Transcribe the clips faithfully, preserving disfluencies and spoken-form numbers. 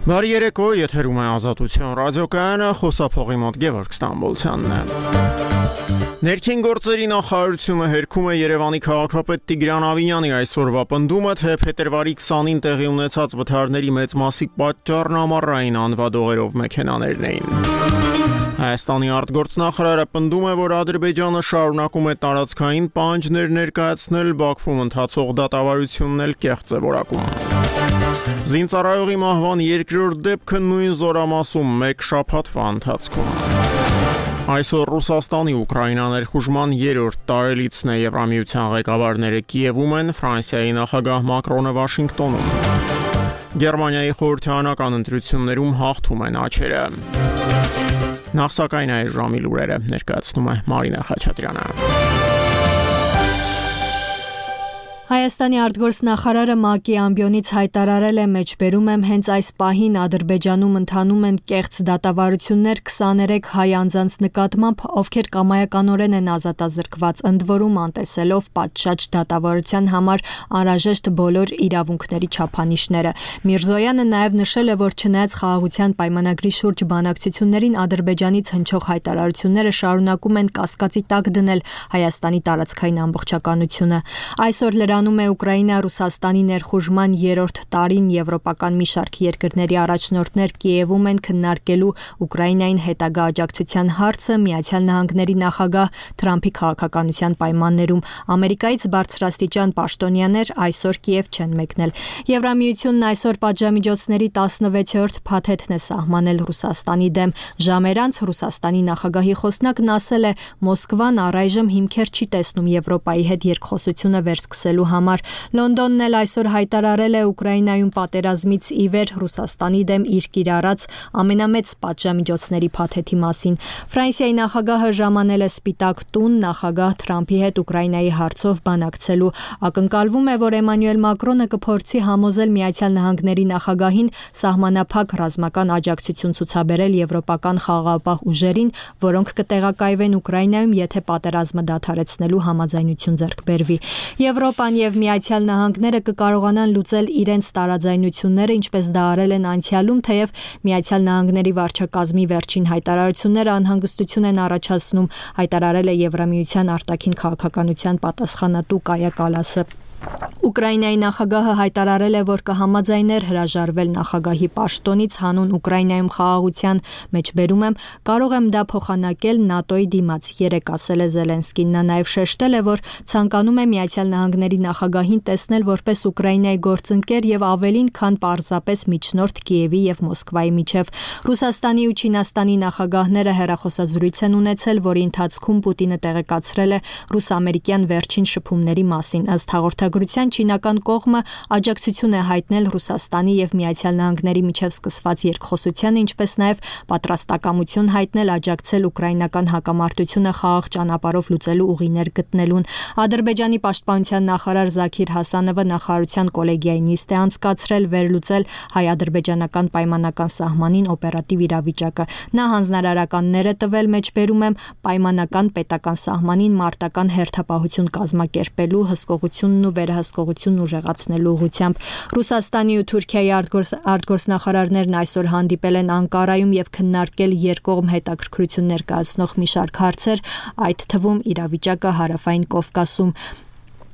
Բարի երեկո, եթերում է Ազատություն ռադիոկայանը, խոսափողի մոտ Գևորգ Ստամբոլցյանն է։ Ներքին գործերի նախարարությունը հերքում է Երևանի քաղաքապետ Տիգրան Ավինյանի այսօրվա պնդումը, թե փետրվարի քսանին տեղի ունեցած վթարների մեծ մասի պատճառն ամառային անվադողերով մեքենաներն էին։ Հայաստանի արտգործնախարարը պնդում է, որ Ադրբեջանը շարունակում է տարածքային պահանջներ ներկայացնել, Բաքվում ընթացող դատավարությունն էլ կեղծ է որակում։ Զինծառայողի մահվան երկրորդ դեպքը նույն զորամասում մեկ շաբաթվա ընթացքում։ Այսօր Ռուսաստանի Ուկրաինա ներխուժման երրորդ տարելիցն է, Եվրամիության ղեկավարները Կիևում են, Ֆրանսիայի նախագահ Մակրոնը Վաշինգտոնում։ Գերմանիայի խորհրդարանական ընտրություններում հաղթում են աջերը։ Նախ սակայն այս ժամի լուրերը ներկայացնում է Մարինա Խաչատրյանը։ Հայաստանի արտգործնախարարը ՄԱԿ-ի ամբիոնից հայտարարել է, մեջբերում եմ, հենց այս պահին Ադրբեջանում ընթանում են կեղծ դատավարություններ քսաներեք հայ անձանց նկատմամբ, ովքեր կամայականորեն են ազատազրկված, ընդ որում անտեսելով պատշաճ դատավարության համար անհրաժեշտ բոլոր իրավունքների չափանիշները։ Միրզոյանը նաև նշել է, որ չնայած խաղաղության պայմանագրի շուրջ բանակցություններին Ադրբեջանից հնչող հայտարարությունները շարունակում են կասկածի տակ դնել Հայաստանի տարածքային ամբողջականությունը։ Այսօր անում է Ուկրաինա-Ռուսաստանի ներխուժման երրորդ տարին, եվրոպական մի շարք երկրների առաջնորդներ Կիևում են քննարկելու Ուկրաինային հետագա աջակցության հարցը, Միացյալ Նահանգների նախագահ Թրամփի քաղաքականության պայմաններում։ Ամերիկայից բարձրաստիճան պաշտոնյաներ այսօր Կիև չեն մեկնել։ Եվրամիությունն այսօր պատժամիջոցների տասնվեցերորդ փաթեթն է սահմանել Ռուսաստանի դեմ։ Ժամեր անց Ռուսաստանի նախագահի խոսնակն ասել է, Մոսկվան առայժմ հիմքեր չի տեսնում Եվրոպայի հետ երկխոսությունը վերսկսելու համար։ Լոնդոնն էլ այսօր հայտարարել է Ուկրաինայում պատերազմից ի վեր Ռուսաստանի դեմ իր կիրառած ամենամեծ պատժամիջոցների փաթեթի մասին։ Ֆրանսիայի նախագահը ժամանել է Սպիտակ տուն նախագահ Թրամփի հետ Ուկրաինայի հարցով բանակցելու։ Ակնկալվում է, որ Էմանուել Մակրոնը կփորձի համոզել Միացյալ Նահանգների նախագահին սահմանափակ ռազմական աջակցություն ցուցաբերել եվրոպական խաղաղապահ ուժերին, որոնք կտեղակայվեն Ուկրաինայում, եթե պատերազմը դադարեցնելու համաձայնություն ձեռք բերվի։ Եվրոպան և Միացյալ Նահանգները կկարողանան լուծել իրենց տարաձայնությունները, ինչպես դա արել են անցյալում, թեև Միացյալ Նահանգների վարչակազմի վերջին հայտարարությունները անհանգստություն են առաջացնում, հայտարարել է Եվրամիության արտաքին քաղաքականության պատասխանատու Կայա Կալասը։ Ուկրաինայի նախագահը հայտարարել է, որ կհամաձայներ հրաժարվել նախագահի պաշտոնից հանուն Ուկրաինայում խաղաղության, մեջբերում եմ, կարող եմ դա փոխանակել ՆԱՏՕ-ի դիմաց, երեկ ասել է Զելենսկին։ Նա նաև շեշտել է, որ ցանկանում է Միացյալ Նահանգների նախագահին տեսնել որպես Ուկրաինայի գործընկեր եւ ավելին, քան պարզապես միջնորդ Կիևի եւ Մոսկվայի միջև։ Ռուսաստանի ու Չինաստանի նախագահները հեռախոսազրույց են ունեցել, որի ընթացքում Պուտինը տեղեկացրել է ռուս-ամերիկյան վերջին շփումների մասին։ Ըստ հաղորդագրության չինական կողմը աջակցություն է հայտնել Ռուսաստանի եւ Միացյալ Նահանգների միջև սկսված երկխոսությանը, ինչպես նաեւ պատրաստակամություն հայտնել աջակցել ուկրաինական հակամարտությունը խաղաղ ճանապարհով լուծելու ուղիներ գտնելուն։ Ադրբեջանի պաշտպանության նախարար Զաքիր Հասանովը նախարարության կոլեգիայի նիստ է անցկացրել վերլուծել հայ-ադրբեջանական պայմանական սահմանին օպերատիվ իրավիճակը։ Նա հանձնարարականներ է տվել, մեջբերում եմ, պայմանական պետական սահմանին մարտական հերթապահություն կազմակերպելու, հսկողությունն ու վերահսկողությունն ուժեղացնելու ուղղությամբ։ Ռուսաստանի ու Թուրքիայի արտգործ, արտգործնախարարներն այսօր հանդիպել են Անկարայում եւ քննարկել երկկողմ հետաքրքրություն ներկայացնող մի շարք հարցեր, այդ թվում իրավիճակը Հարավային Կովկասում։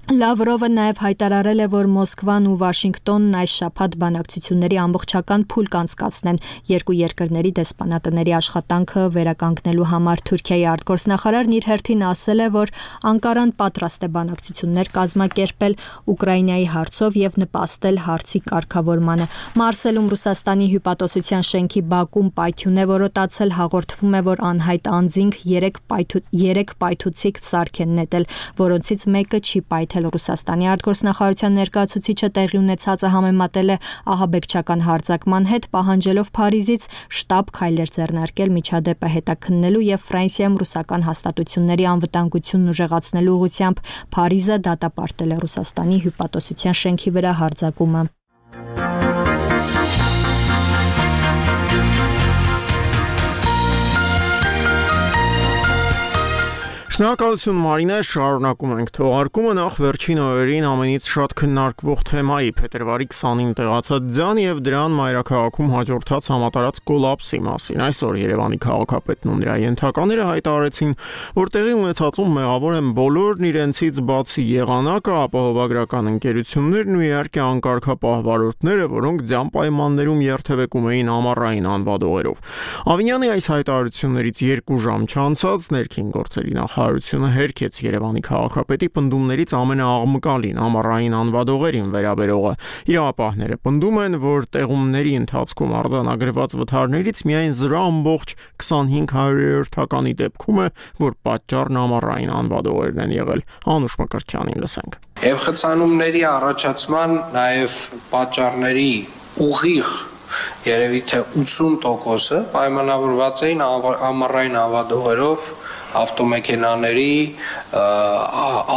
Լավրովը նաև հայտարարել է, որ Մոսկվան ու Վաշինգտոնն այս շաբաթ բանակցությունների ամբողջական փուլ կանցկացնեն երկու երկրների դեսպանատների աշխատանքը վերականգնելու համար։ Թուրքիայի արտգործնախարարն իր հերթին ասել է, որ Անկարան պատրաստ է բանակցություններ կազմակերպել Ուկրաինայի հարցով եւ նպաստել հարցի կարգավորմանը։ Մարսելում Ռուսաստանի հյուպատոսության շենքի բակում պայթյուն է որոտացել, հաղորդվում է, որ անհայտ անձինք երեք պայթուցիկ սարք են նետել, որոնցից մեկը չի պայթել։ Ռուսաստանի արտգործնախարարության ներկայացուցիչը տեղի ունեցածը համեմատել է ահաբեկչական հարձակման հետ, պահանջելով Փարիզից շտապ քայլեր ձեռնարկել միջադեպը հետաքննելու եւ Ֆրանսիայում ռուսական հաստատությունների անվտանգությունն ուժեղացնելու ուղղությամբ։ Փարիզը դատապարտել է Ռուսաստանի հյուպատոսության շենքի վրա հարձակումը։ Շնորհակալություն Մարինե, շարունակում ենք թողարկումը նախ վերջին օրերին ամենից շատ քննարկվող թեմայի փետրվարի քսանինը տեղացած ձյան եւ դրան մայրաքաղաքում հաջորդած համատարած կոլապսի մասին։ Այսօր Երևանի քաղաքապետն ու նրա ենթակաները հայտարարեցին, որ տեղի ունեցածում մեղավոր են բոլորն իրենցից բացի եղանակը, ապահովագրական ընկերություններն ու իհարկե անկարգապահ վարորդները, որոնք ձյան պայմաններում երթևեկում էին ամառային անվադողերով։ Ավինյանի այս հայտարարություններից երկու ժամ չանցած ներքին գործերի նախարարությունը հերքեց Երևանի քաղաքապետի պնդումներից ամենաաղմկալին ամառային անվադողերին վերաբերողը։ Իրավապահները պնդում են, որ տեղումների ընթացքում արձանագրված վթարներից միայն զրո ամբողջ քսանհինգ հարյուրերորդականի դեպքում է, որ պատճառն ամառային անվադողերն են եղել։ Անուշ Մկրտչյանին լսենք։ Եվ խցանումների առաջացման նաև պատճառների ուղիղ երևի թե ութսուն տոկոսը պայմանավորված էին ամառային անվադողերով ավտոմեքենաների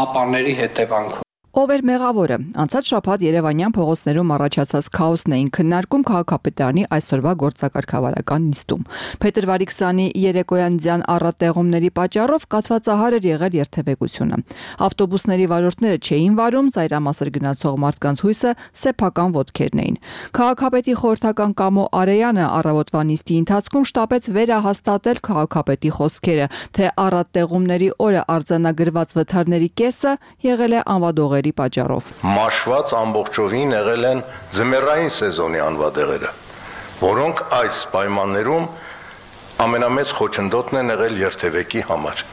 ապաների հետևանքով։ Ով էր մեղավորը։ Անցած շաբաթ Երևանյան փողոցներում առաջացած քաոսն էին քննարկում քաղաքապետարանի այսօրվա գործակարգավարական նիստում։ Փետրվարի քսանի երեկոյան ձյան առատեղումների պատճառով կաթվածահար էր եղել երթևեկությունը։ Ավտոբուսների վարորդները չէին վարում, ծայրամասր գնացող մարդկանց հույսը սեփական ոտքերն էին։ Քաղաքապետի խորհրդական Կամո Արեյանը առավոտվա նիստի ընթացքում շտապեց վերահաստատել քաղաքապետի խոսքերը, թե առատեղումների օրը արձանագրված վթարների կեսը եղել է անվադողերի պատճառով։ Մաշված ամբողջովին եղել են ձմեռային սեզոնի անվադեղերը, որոնք այս պայմաններում ամենամեծ խոչընդոտն են եղել երթևեկի համար։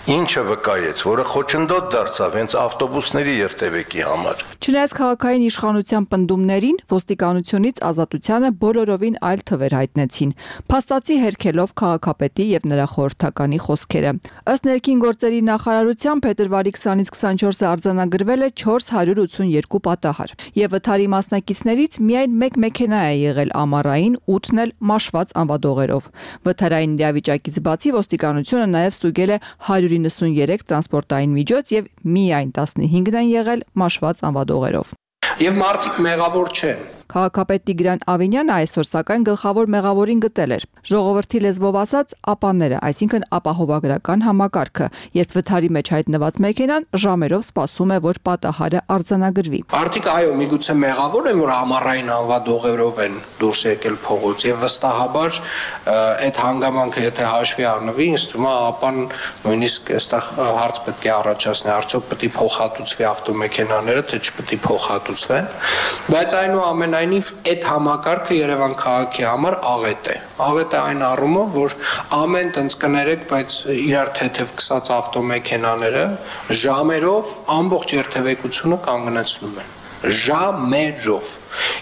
Ինչը վկայեց, որը խոչընդոտ դարձավ հենց ավտոբուսների երթևեկի համար։ Չնայած քաղաքային իշխանության պնդումներին, ոստիկանությունից Ազատությանը բոլորովին այլ թվեր հայտնեցին, փաստացի հերքելով քաղաքապետի եւ նրա խորհրդականի խոսքերը։ Ըստ ներքին գործերի նախարարության փետրվարի քսանից քսանչորսը արձանագրվել է չորս հարյուր ութսունյոթ պատահար, եւ վթարի մասնակիցներից միայն մեկ մեքենա է եղել ամառային, ութն էլ մաշված անվադողերով։ Վթարային իրավիճակից բացի ոստիկանությունը նաեւ ստուգել է հարյուր իննսունյերեք տրանսպորտային միջոց եւ միայն տասնհինգն են եղել մաշված անվադողերով։ Եվ մարդիկ մեղավոր չեն։ Քաղաքապետ Տիգրան Ավինյանը այսօր սակայն գլխավոր մեղավորին գտել էր։ Ժողովրդի լեզվով ասած ապաները, այսինքն ապահովագրական համակարգը, երբ վթարի մեջ հայտնված մեքենան ժամերով սպասում է, որ պատահարը արձանագրվի։ Մարդիկ այո, միգուցե մեղավոր են, որ ամառային անվադողերով են դուրս եկել փողոց եւ վստահաբար այդ հանգամանքը եթե հաշվի առնվի, ինձ թվում է ապան նույնիսկ այստեղ հարց պետք է առաջացնի, արդյոք պետք է փոխհատուցվի ավտոմեքենաները, թե չպետք է փոխհատուցվեն, բայց այնուամենայնիվ այդ համակարգը Երևան քաղաքի համար աղետ է։ Աղետ է այն առումով, որ ամեն տենց կներեք, բայց իրար թեթև քսած ավտոմեքենաները ժամերով ամբողջ երթևեկությունը կանգնեցնում են։ Ժամերով։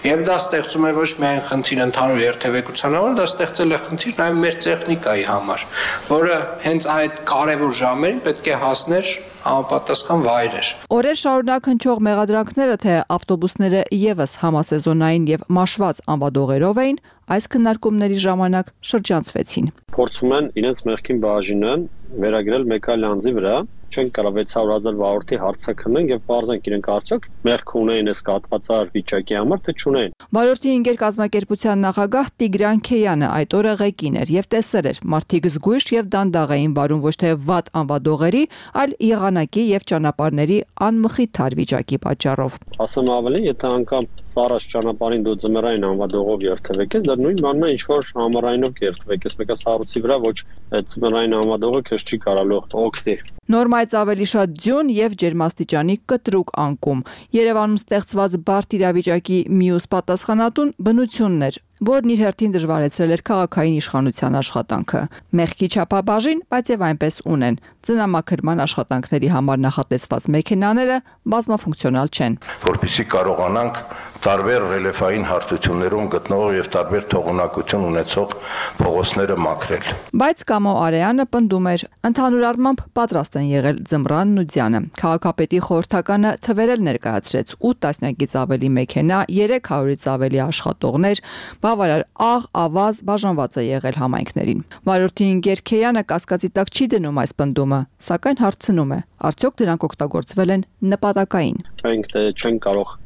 Եվ դա ստեղծում է ոչ միայն խնդիր ընդհանուր երթևեկության համար, դա ստեղծել է խնդիր նաև մեր տեխնիկայի համար, որը հենց այդ կարևոր ժամերին պետք է հասներ համապատասխան վայրեր։ Օրեր շարունակ հնչող մեղադրանքները, թե ավտոբուսները եւս համասեզոնային եւ մաշված անվադողերով էին, այս քննարկումների ժամանակ շրջանցվեցին։ Փորձում են իրենց մեղքին բաժինը վերագրել մեկ այլ անձի վրա, չեն կարող վեց հարյուր հազար վարորդի հարցակնեն եւ բարձանք իրենք արդյոք մեղք ունեն այս կաթվածար վիճակի համար, թե չունեն։ Վարորդի ինգեր կազմակերպության նախագահ Տիգրան Քեյանը այդ օրը ղեկին էր եւ տեսել էր մարդիկ զգույշ եւ դանդաղ էին վարում ոչ թե վատ անվադողերի, այլ եղանակի եւ ճանապարհների անմխիթար վիճակի պատճառով։ Ասեմ ավելի, եթե անգամ սառած ճանապարհին դու ձմեռային անվադողով երթևեկես, դա նույն բանն է, ինչ որ ամառայինով երթևեկես, մեկը սառույցի վրա ոչ ձմեռային անվադողը քեզ չի կարալու օգնի։ Նորմայից ավելի շատ ձյուն եւ ջերմաստիճանի կտրուկ անկում։ Երևանում ստեղծված բարդ իրավիճակի մյուս պատասխանատուն բնությունն էր, որն իր հերթին դժվարեցրել էր քաղաքային իշխանության աշխատանքը։ Մեղքի չափաբաժին, բայց եւ այնպես ունեն։ Ծնամաքրման աշխատանքների համար նախատեսված մեքենաները բազմաֆունկցիոնալ չեն։ Որպեսզի կարողանանք տարբեր ռելիեֆային հարթություններում գտնող եւ տարբեր թողունակություն ունեցող փողոցները մաքրել։ Բայց Կամո Արեյանը պնդում էր, ընդհանուր առմամբ պատրաստ են եղել ձմռանն ու ձյանը։ Քաղաքապետի խորհրդականը թվերել ներկայացրեց ութ տասնյակից ավելի մեքենա, երեք հարյուրից ավելի աշխատողներ, բավարար աղ, ավազ բաժանված է եղել համայնքներին։ Վարորդի ինգեր Քեյանը կասկածի տակ չի դնում այս պնդումը, սակայն հարցնում է, արդյոք դրանք օգտագործվել են նպատակային։ Մենք դե չենք կարող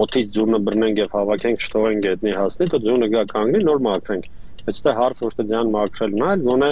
օդից ձյունը բռնենք եւ հավաքենք, չթողենք գետնի հասնի, դու ձյունը գա կանգնի, նոր մաքրենք։ Բայց դա հարց ոչ թե ձյան մաքրելն է, այլ գոնե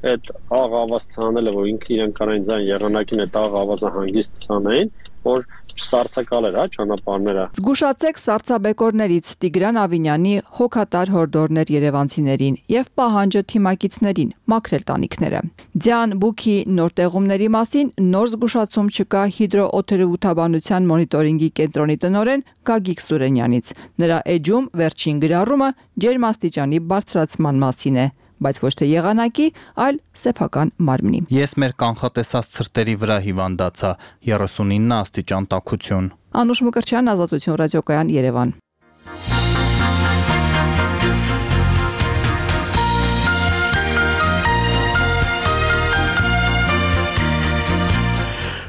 այդ աղ ավազ ցանելը, որ ինքը իրեն կարային ձայն եղանակին այդ աղ ավազը հանգիստ ցանային, որ սարցակալ էր, հա, ճանապարհները։ Զգուշացեք սարցաբեկորներից Տիգրան Ավինյանի հոգատար հորդորներ երևանցիներին եւ պահանջը թիմակիցներին մաքրել տանիքները։ Ձյան բուքի նոր տեղումների մասին նոր զգուշացում չկա հիդրոօթերոթաբանության մոնիտորինգի կենտրոնի տնօրեն Գագիկ Սուրենյանից։ Նրա էջում վերջին գրառումը ջերմաստիճանի բարձրացման մասին է, բայց ոչ թե եղանակի, այլ սեփական մարմնի։ Ես մեր կանխատեսած ցրտերի վրա հիվանդացա, երեսունինը աստիճան տաքություն։ Անուշ Մկրտչյան, Ազատություն ռադիոկայան, Երևան։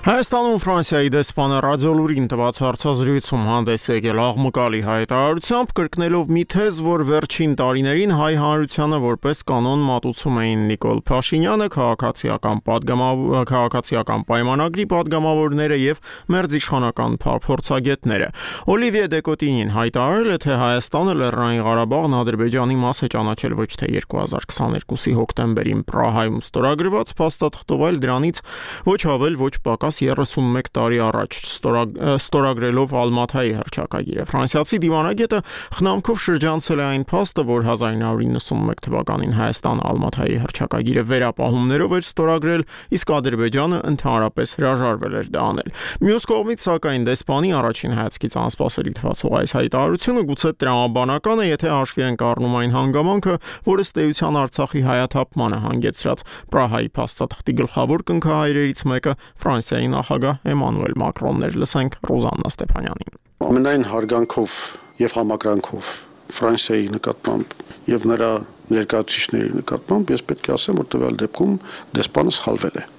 Հայաստանում Ֆրանսիայի դեսպանը ռադիոլուրին տված հարցազրույցում հանդես եկել աղմկալի հայտարարությամբ, կրկնելով մի թեզ, որ վերջին տարիներին հայ հանրությանը որպես կանոն մատուցում էին Նիկոլ Փաշինյանը, քաղաքացիական պատգամավոր, քաղաքացիական պայմանագրի պատգամավորները եւ մերձիշխանական փորձագետները։ Օլիվիե Դեկոտինին հայտարարել է, թե Հայաստանը Լեռնային Ղարաբաղն Ադրբեջանի մաս է ճանաչել ոչ թե երկու հազար քսաներկուսի հոկտեմբերին Պրահայում ստորագրված փաստաթղթով, այլ դրանից ոչ ավել, ոչ պակաս երեսունմեկ տարի առաջ ստորագրելով Ալմաթայի հռչակագիրը։ Ֆրանսիացի դիվանագետը խնամքով շրջանցել է այն փաստը, որ հազար ինը հարյուր իննսունմեկ թվականին Հայաստանը Ալմաթայի հռչակագիրը վերապահումներով էր ստորագրել, իսկ Ադրբեջանը ընդհանրապես հրաժարվել էր դա անել։ Մյուս կողմից, սակայն, դեսպանի առաջին հայացքից անսպասելի թվացող այս հայտարարությունը գուցե տրամաբանական է, եթե հաշվի ենք առնում այն հանգամանքը, որը ըստ էության Արցախի հայաթափմանը հանգեցրած Պրահայի փաստաթղթի գլխավոր կնքահայրերից մեկը Ֆրանսիայի նախագահ Էմանուել Մակրոնն էր։ Լսենք Ռոզաննա Ստեփանյանին։ Ամենայն հարգանքով եւ համակրանքով Ֆրանսիայի նկատմամբ եւ նրա ներկայացուցիչների նկատմամբ ես պետք է ասեմ, որ տվյալ դեպքում դեսպանը սխալվել է։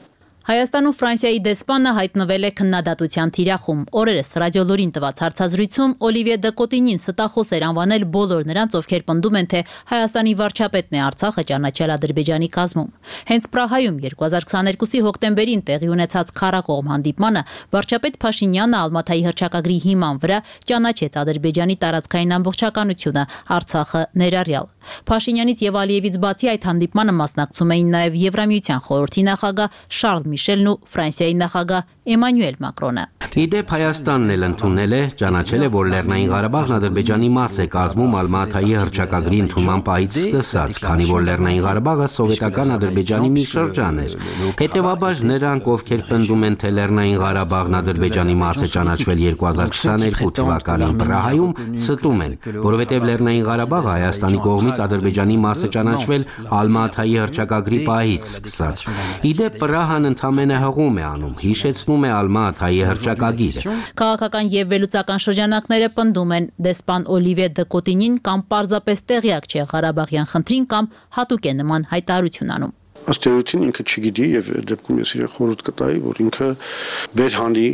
Հայաստանում Ֆրանսիայի դեսպանը հայտնվել է քննադատության թիրախում։ Օրերս ռադիոլուրին տված հարցազրույցում Օլիվիե Դեկոտինին ստախոս էր անվանել բոլոր նրանց, ովքեր պնդում են, թե Հայաստանի վարչապետն է Արցախը ճանաչել Ադրբեջանի կազմում։ Հենց Պրահայում երկու հազար քսաներկուսի հոկտեմբերին տեղի ունեցած քառակողմ հանդիպմանը վարչապետ Փաշինյանը Ալմաթայի հռչակագրի հիման վրա ճանաչեց Ադրբեջանի տարածքային ամբողջականությունը, Արցախը ներառյալ։ Փաշինյանից եւ Ալիևից բացի այդ հանդիպմանը մասնակցում էին նաեւ Եվրամիության խորհրդի նախագահ Շարլ Միշելն ու Ֆրանսիայի նախագահ Էմանուել Մակրոնը։ Իդեպ Հայաստանն էլ ընդունել է, ճանաչել է, որ Լեռնային Ղարաբաղն Ադրբեջանի մաս է կազմում Ալմաթայի հռչակագրի ընդունման պահից սկսած, քանի որ Լեռնային Ղարաբաղը սովետական Ադրբեջանի մի շրջան էր։ Հետևաբար նրանք, ովքեր պնդում են, թե Լեռնային Ղարաբաղն Ադրբեջանի մաս է ճանաչվել երկու հազար քսաներկու թվականին Պրահայում, ստում են, որովհետև Լեռնային Ղարաբաղը Հայաստանի կողմից Ադրբեջանի մաս է ճանաչվել Ալմաթայի հռչակագրի պահից սկսած։ Իդեպ Պրահան ընդամենը հղում է անում, հիշեցնում է Ալմաթայի հռչակագիրը։ Քաղաքական եւ վերլուծական շրջանակները պնդում են, դեսպան Օլիվիե Դեկոտինին կամ պարզապես տեղյակ չէ Ղարաբաղյան խնդրին, կամ հատուկ է նման հայտարարություն անում։ Ըստ էության ինքը չգիտի եւ դեպքում ես իրեն խորհուրդ կտայի, որ ինքը վերհանի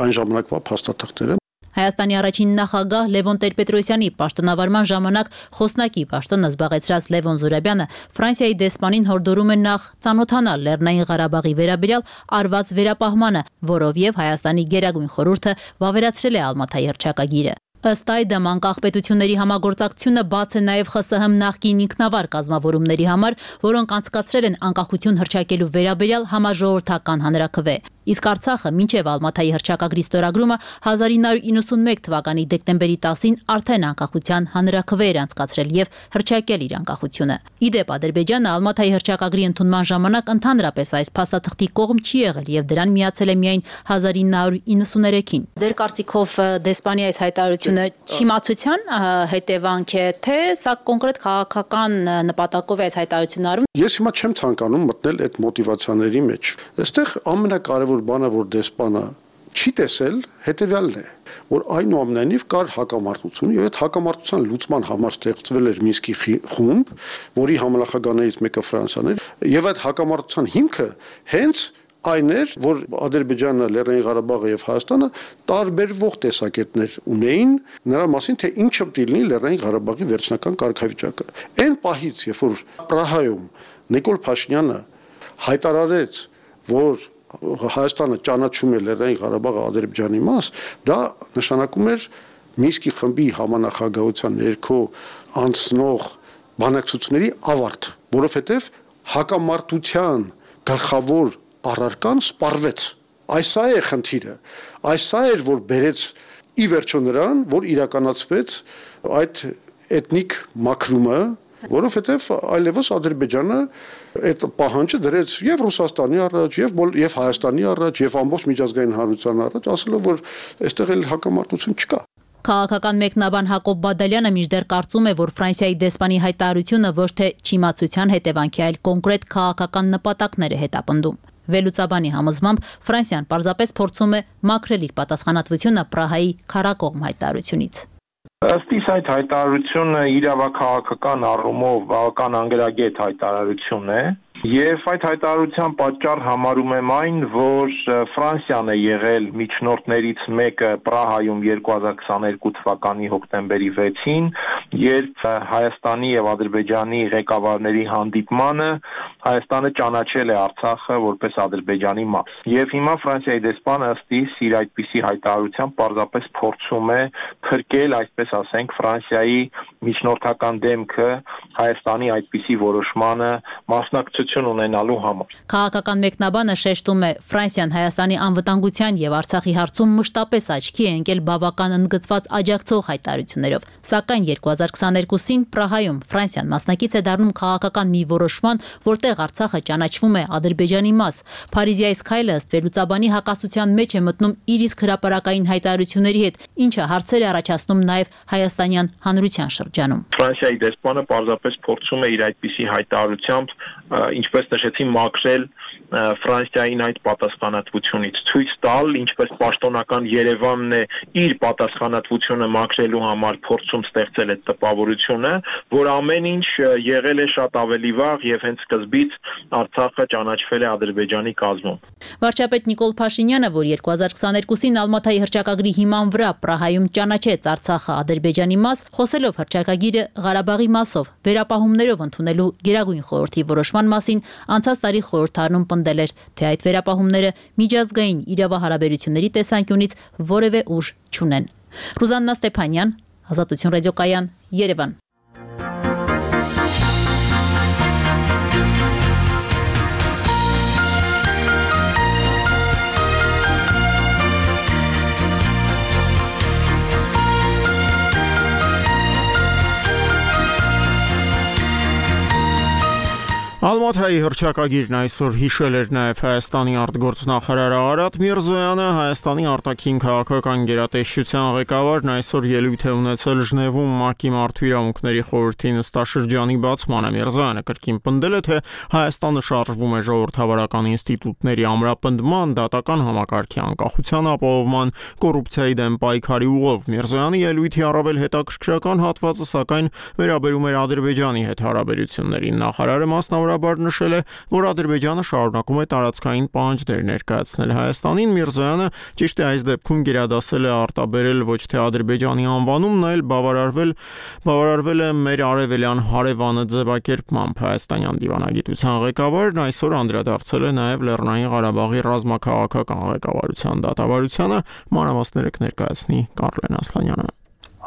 այն ժամանակվա փաստաթղթերը։ Հայաստանի առաջին նախագահ Լևոն Տեր-Պետրոսյանի պաշտոնավարման ժամանակ խոսնակի պաշտոնը զբաղեցրած Լևոն Զուրաբյանը Ֆրանսիայի դեսպանին հորդորում է նախ ծանոթանալ Լեռնային Ղարաբաղի վերաբերյալ արված վերապահմանը, որով եւ Հայաստանի գերագույն խորհուրդը վավերացրել է Ալմաթայի հռչակագիրը։ Ըստ այդմ անկախ պետությունների համագործակցությունը բաց է նաև ԽՍՀՄ նախկին ինքնավար կազմավորումների համար, որոնք անցկացրել են անկախություն հռչակելու վերաբերյալ համաժողովրդական հանրաքվե։ Իսկ Արցախը մինչև Ալմաթայի հռչակագրի ստորագրումը հազար ինը հարյուր իննսունմեկ թվականի դեկտեմբերի տասին արդեն անկախության հանրաքվե էր անցկացրել եւ հռչակել իր անկախությունը։ Իդեպ Ադրբեջանը Ալմաթայի հռչակագրի ընդունման ժամանակ ընդհանրապես այս փաստաթղթի կողմ չի եղել եւ դրան միացել է միայն հազար ինը հարյուր իննսուներեքին։ Ձեր կարծիքով դեսպանի այս հայտարարությունը չիմացության հետևանք է, թե սա կոնկրետ քաղաքական նպատակով է այս հայտարարությունը արվում։ Ես հիմա չեմ ցանկանում մտնել այդ մոտիվացիաների մեջ։ Այստեղ ամենակարևոր բանը, որ դեսպանը չի տեսել, հետևյալն է, որ այնուամենայնիվ կար հակամարտություն եւ այդ հակամարտության լուծման համար ստեղծվել էր Մինսկի խումբ, որի համանախագահներից մեկը Ֆրանսիան էր, եւ այդ հակամարտության հիմքը հենց այն էր, որ Ադրբեջանը, Լեռնային Ղարաբաղը եւ Հայաստանը տարբերվող տեսակետներ ունեին նրա մասին, թե ինչը պետք է լինի Լեռնային Ղարաբաղի վերջնական կարգավիճակը։ Այն պահից, երբ որ Պրահայում Նիկոլ Փաշինյանը հայտարարեց, որ Հայաստանը ճանաչում է Լեռնային Ղարաբաղը Ադրբեջանի մաս, դա նշանակում էր Մինսկի խմբի համանախագահության ներքո անցնող բանակցությունների ավարտ, որովհետեւ հակամարտության գլխավոր առարկան սպառվեց։ Այս է խնդիրը։ Այս է որ բերեց ի վերջո նրան, որ իրականացվեց այդ էթնիկ մաքրումը, որովհետև այլևս Ադրբեջանը այդ պահանջը դրեց եւ Ռուսաստանի առաջ, եւ եւ Հայաստանի առաջ, եւ ամբողջ միջազգային հանրության առաջ, ասելով որ այստեղ էլ հակամարտություն չկա։ Քաղաքական մեկնաբան Հակոբ Բադալյանը մինչդեռ կարծում է, որ Ֆրանսիայի դեսպանի հայտարարությունը ոչ թե չիմացության հետևանք է, այլ կոնկրետ քաղաքական նպատակներ է հետապնդում։ Վերլուծաբանի համոզմամբ Ֆրանսիան պարզապես փորձում է մաքրել իր պատասխանատվությունը Պրահայի քարակողմ հայտարարությունից։ Ըստ իս այդ հայտարարությունը իրավաքաղաքական առումով բավական անգրագետ հայտարարություն է եւ այդ հայտարարության պատճառ համարում եմ այն, որ Ֆրանսիան է եղել միջնորդներից մեկը Պրահայում երկու հազար քսաներկու թվականի հոկտեմբերի վեցին, երբ Հայաստանի եւ Ադրբեջանի ղեկավարների հանդիպմանը Հայաստանը ճանաչել է Արցախը որպես Ադրբեջանի մաս։ Եվ հիմա Ֆրանսիայի դեսպանը ըստ իս իր այդպիսի հայտարարությամբ պարզապես փորձում է փրկել, այսպես ասենք, Ֆրանսիայի միջնորդական դեմքը Հայաստանի այդպիսի որոշմանը մասնակցություն ունենալու համար։ Քաղաքական մեկնաբանը շեշտում է, Ֆրանսիան Հայաստանի անվտանգության եւ Արցախի հարցում մշտապես աչքի է ընկել բավական ընդգծված աջակցող հայտարարություններով։ Սակայն երկու հազար քսաներկուսին Պրահայում Ֆրանսիան մասնակից է դառնում քաղաքական մի որոշման, որտեղ Արցախը ճանաչվում է Ադրբեջանի մաս։ Փարիզի այս քայլը ըստ վերլուծաբանի հակասության մեջ է մտնում իր իսկ հրապարակային հայտարարությունների հետ, ինչը հարցեր է առաջացնում նաեւ հայաստանյան հանրության շրջանում։ Ֆրանսիայի դեսպանը պարզապես փորձում է իր այդպիսի հայտարարությամբ, ինչպես նշեցի, մաքրել Ֆրանսիային այդ պատասխանատվությունից, ցույց տալ, ինչպես պաշտոնական Երևանն է իր պատասխանատվությունը մաքրելու համար փորձում ստեղծել այդ տպավորությունը, որ ամեն ինչ եղել է շատ ավելի վաղ եւ հենց սկզբից Արցախը ճանաչվել է Ադրբեջանի կազմում։ Վարչապետ Նիկոլ Փաշինյանը, որ երկու հազար քսաներկուսին Ալմաթայի հռչակագրի հիման վրա Պրահայում ճանաչեց Արցախը Ադրբեջանի մաս, խոսելով հռչակագիրը Ղարաբաղի մասով վերապահումներով ընդունելու Գերագույն խորհրդի որոշման մասին, անցած տարի խորհրդարանում պնդել էր, թե այդ վերապահումները միջազգային իրավահարաբերությունների տեսանկյունից որևէ ուժ չունեն։ Ռուզաննա Ստեփանյան, Ազատություն ռադիոկայան, Երևան։ Ալմաթայի հռչակագիրն այսօր հիշել էր նաև Հայաստանի արտգործնախարարը Արադ Միրզոյանը, Հայաստանի արտաքին քաղաքական գերատեսչության ղեկավարն այսօր ելույթ է ունեցել Ժնևում ՄԱԿ-ի Մարդու իրավունքների խորհրդի նստաշրջանի բացմանը։ Միրզոյանը կրկին պնդել է, թե Հայաստանը շարժվում է ժողովրդավարական ինստիտուտների ամրապնդման, դատական համակարգի անկախության ապահովման, կոռուպցիայի դեմ պայքարի ուղով։ Միրզոյանի ելույթի առավել հետաքրքրական հատվածը սակայն վերաբերում էր Ադրբեջանի հետ հարաբերություններին։ Նախարարը մասնավորաբար նշել է, որ Ադրբեջանը շարունակում է տարածքային պահանջներ ներկայացնել Հայաստանին։ Միրզոյանը ճիշտ է այս դեպքում գերադասել է արտաբերել ոչ թե Ադրբեջանի անվանումն, այլ բավարարվել բավարարվել է մեր արևելյան հարևանը ձևակերպմամբ։ Հայաստանյան դիվանագիտության ղեկավարն այսօր անդրադարձել է նաև Լեռնային Ղարաբաղի ռազմաքաղաքական ղեկավարության դատավարությանը։ Մանրամասները կներկայացնի Կարլեն Ասլանյանը։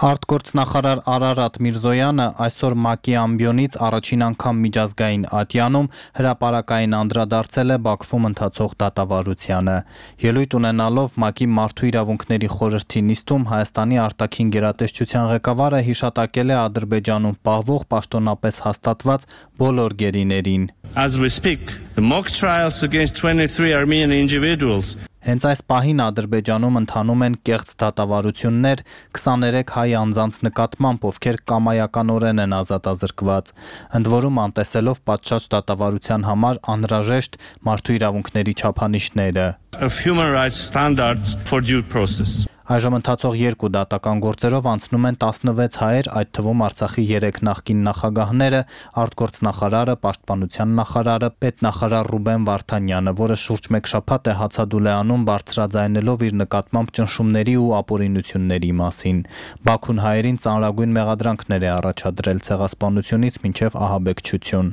Արտգործնախարար Արարատ Միրզոյանը այսօր ՄԱԿ-ի ամբիոնից առաջին անգամ միջազգային ատյանում հրապարակային անդրադարձել է Բաքվում ընթացող դատավարությանը։ Ելույթ ունենալով ՄԱԿ-ի Մարդու իրավունքների խորհրդի նիստում Հայաստանի արտաքին գերատեսչության ղեկավարը հիշատակել է Ադրբեջանում պահվող պաշտոնապես հաստատված բոլոր գերիներին։ As we speak, the mock trials against twenty-three Armenian individuals Հենց այս պահին Ադրբեջանում ընթանում են կեղծ դատավարություններ քսաներեք հայ անձանց նկատմամբ, ովքեր կամայականորեն են ազատազրկված, ընդ որում անտեսելով պատշաճ դատավարության համար անհրաժեշտ մարդու իրավունքների չափանիշները։ Of human rights standards for due process. Այժմ ընթացող երկու դատական գործերով անցնում են տասնվեց հայեր, այդ թվում Արցախի երեք նախկին նախագահները, արտգործնախարարը, պաշտպանության նախարարը, պետնախարար Ռուբեն Վարդանյանը, որը շուրջ մեկ շաբաթ է հացադուլ է անում բարձրաձայնելով իր նկատմամբ ճնշումների ու ապօրինությունների մասին։ Բաքուն հայերին ծանրագույն մեղադրանքներ է առաջադրել ցեղասպանությունից մինչև ահաբեկչություն։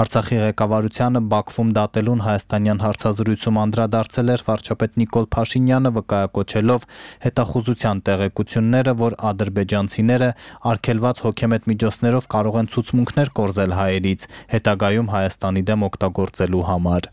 Արցախի ղեկավարությանը Բաքվում դատելուն հայաստանյան հարցազրույցում անդրադարձել էր վարչապետ Նիկոլ Փաշինյանը, վկայակոչելով հետախուզության տեղեկությունները, որ ադրբեջանցիները արգելված հոգեմետ միջոցներով կարող են ցուցմունքներ կորզել հայերից, հետագայում Հայաստանի դեմ օգտագործելու համար։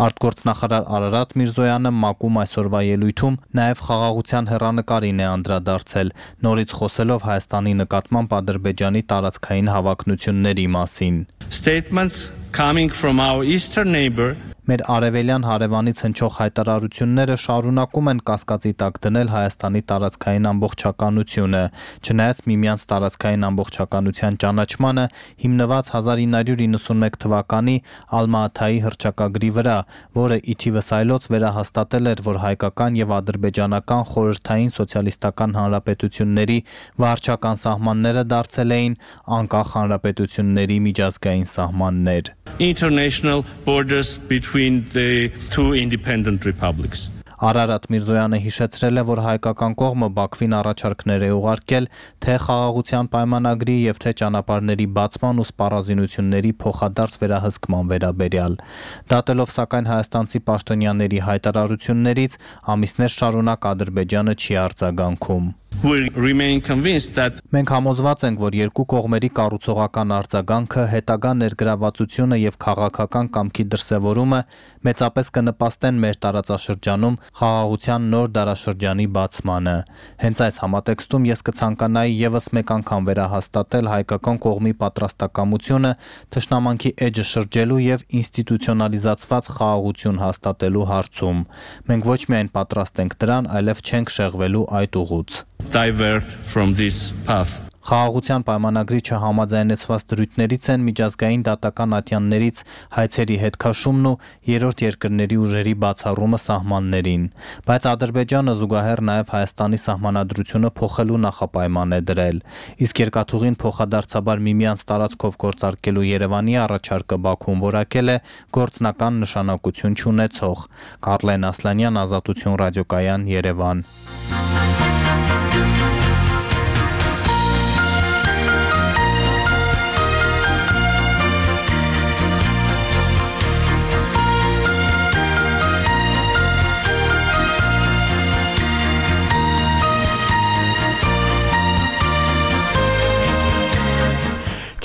Արտգործնախարար Արարատ Միրզոյանը ՄԱԿ-ում այսօրվա ելույթում նաև խաղաղության հեռանկարին է անդրադարձել, նորից խոսելով Հայաստանի նկատմամբ Ադրբեջանի տարածքային հավակնությունների մասին։ Statements coming from our eastern neighbor Մեր արևելյան հարևանից հնչող հայտարարությունները շարունակում են կասկածի տակ դնել Հայաստանի տարածքային ամբողջականությունը, չնայած միմյանց տարածքային ամբողջականության ճանաչմանը հիմնված հազար ինը հարյուր իննսունմեկ թվականի Ալմա-Աթայի հռչակագրի վրա, որը ի թիվս այլոց վերահաստատել էր, որ հայկական եւ ադրբեջանական խորհրդային սոցիալիստական հանրապետությունների վարչական սահմանները դարձել էին անկախ հանրապետությունների միջազգային սահմաններ։ International borders between the two independent republics. Արարատ Միրզոյանը հիշեցրել է, որ հայկական կողմը Բաքվին առաջարկներ է ուղարկել թե խաղաղության պայմանագրի եւ թե ճանապարհների բացման ու սպառազինությունների փոխադարձ վերահսկման վերաբերյալ։ Դատելով սակայն հայաստանցի պաշտոնյաների հայտարարություններից ամիսներ շարունակ Ադրբեջանը չի արձագանքում։ We remain convinced that Մենք համոզված ենք, որ երկու կողմերի կառուցողական արձագանքը, հետագա ներգրավվածությունը եւ քաղաքական կամքի դրսեւորումը մեծապես կնպաստեն մեր տարածաշրջանում խաղաղության նոր դարաշրջանի բացմանը։ Հենց այս համատեքստում ես կցանկանայի եւս մեկ անգամ վերահաստատել հայկական կողմի պատրաստակամությունը թշնամանքի էջը շրջելու եւ ինստիտուցիոնալիզացված խաղաղություն հաստատելու հարցում։ Մենք ոչ միայն պատրաստ ենք դրան, այլև չենք շեղվելու այդ ուղուց։ divert from this path. Խաղաղության պայմանագրի չհամաձայնեցված դրույթներից են միջազգային դատական ատյաններից հայցերի հետքաշումն ու երրորդ երկրների ուժերի բացառումը սահմաններին, բայց Ադրբեջանը զուգահեռ նաև Հայաստանի սահմանադրությունը փոխելու նախապայման է դրել, իսկ երկաթուղին փոխադարձաբար միմյանց տարածքով գործարկելու Երևանի առաջարկը Բաքուն որակել է գործնական նշանակություն չունեցող։ Կարլեն Ասլանյան, Ազատություն ռադիոկայան, Երևան։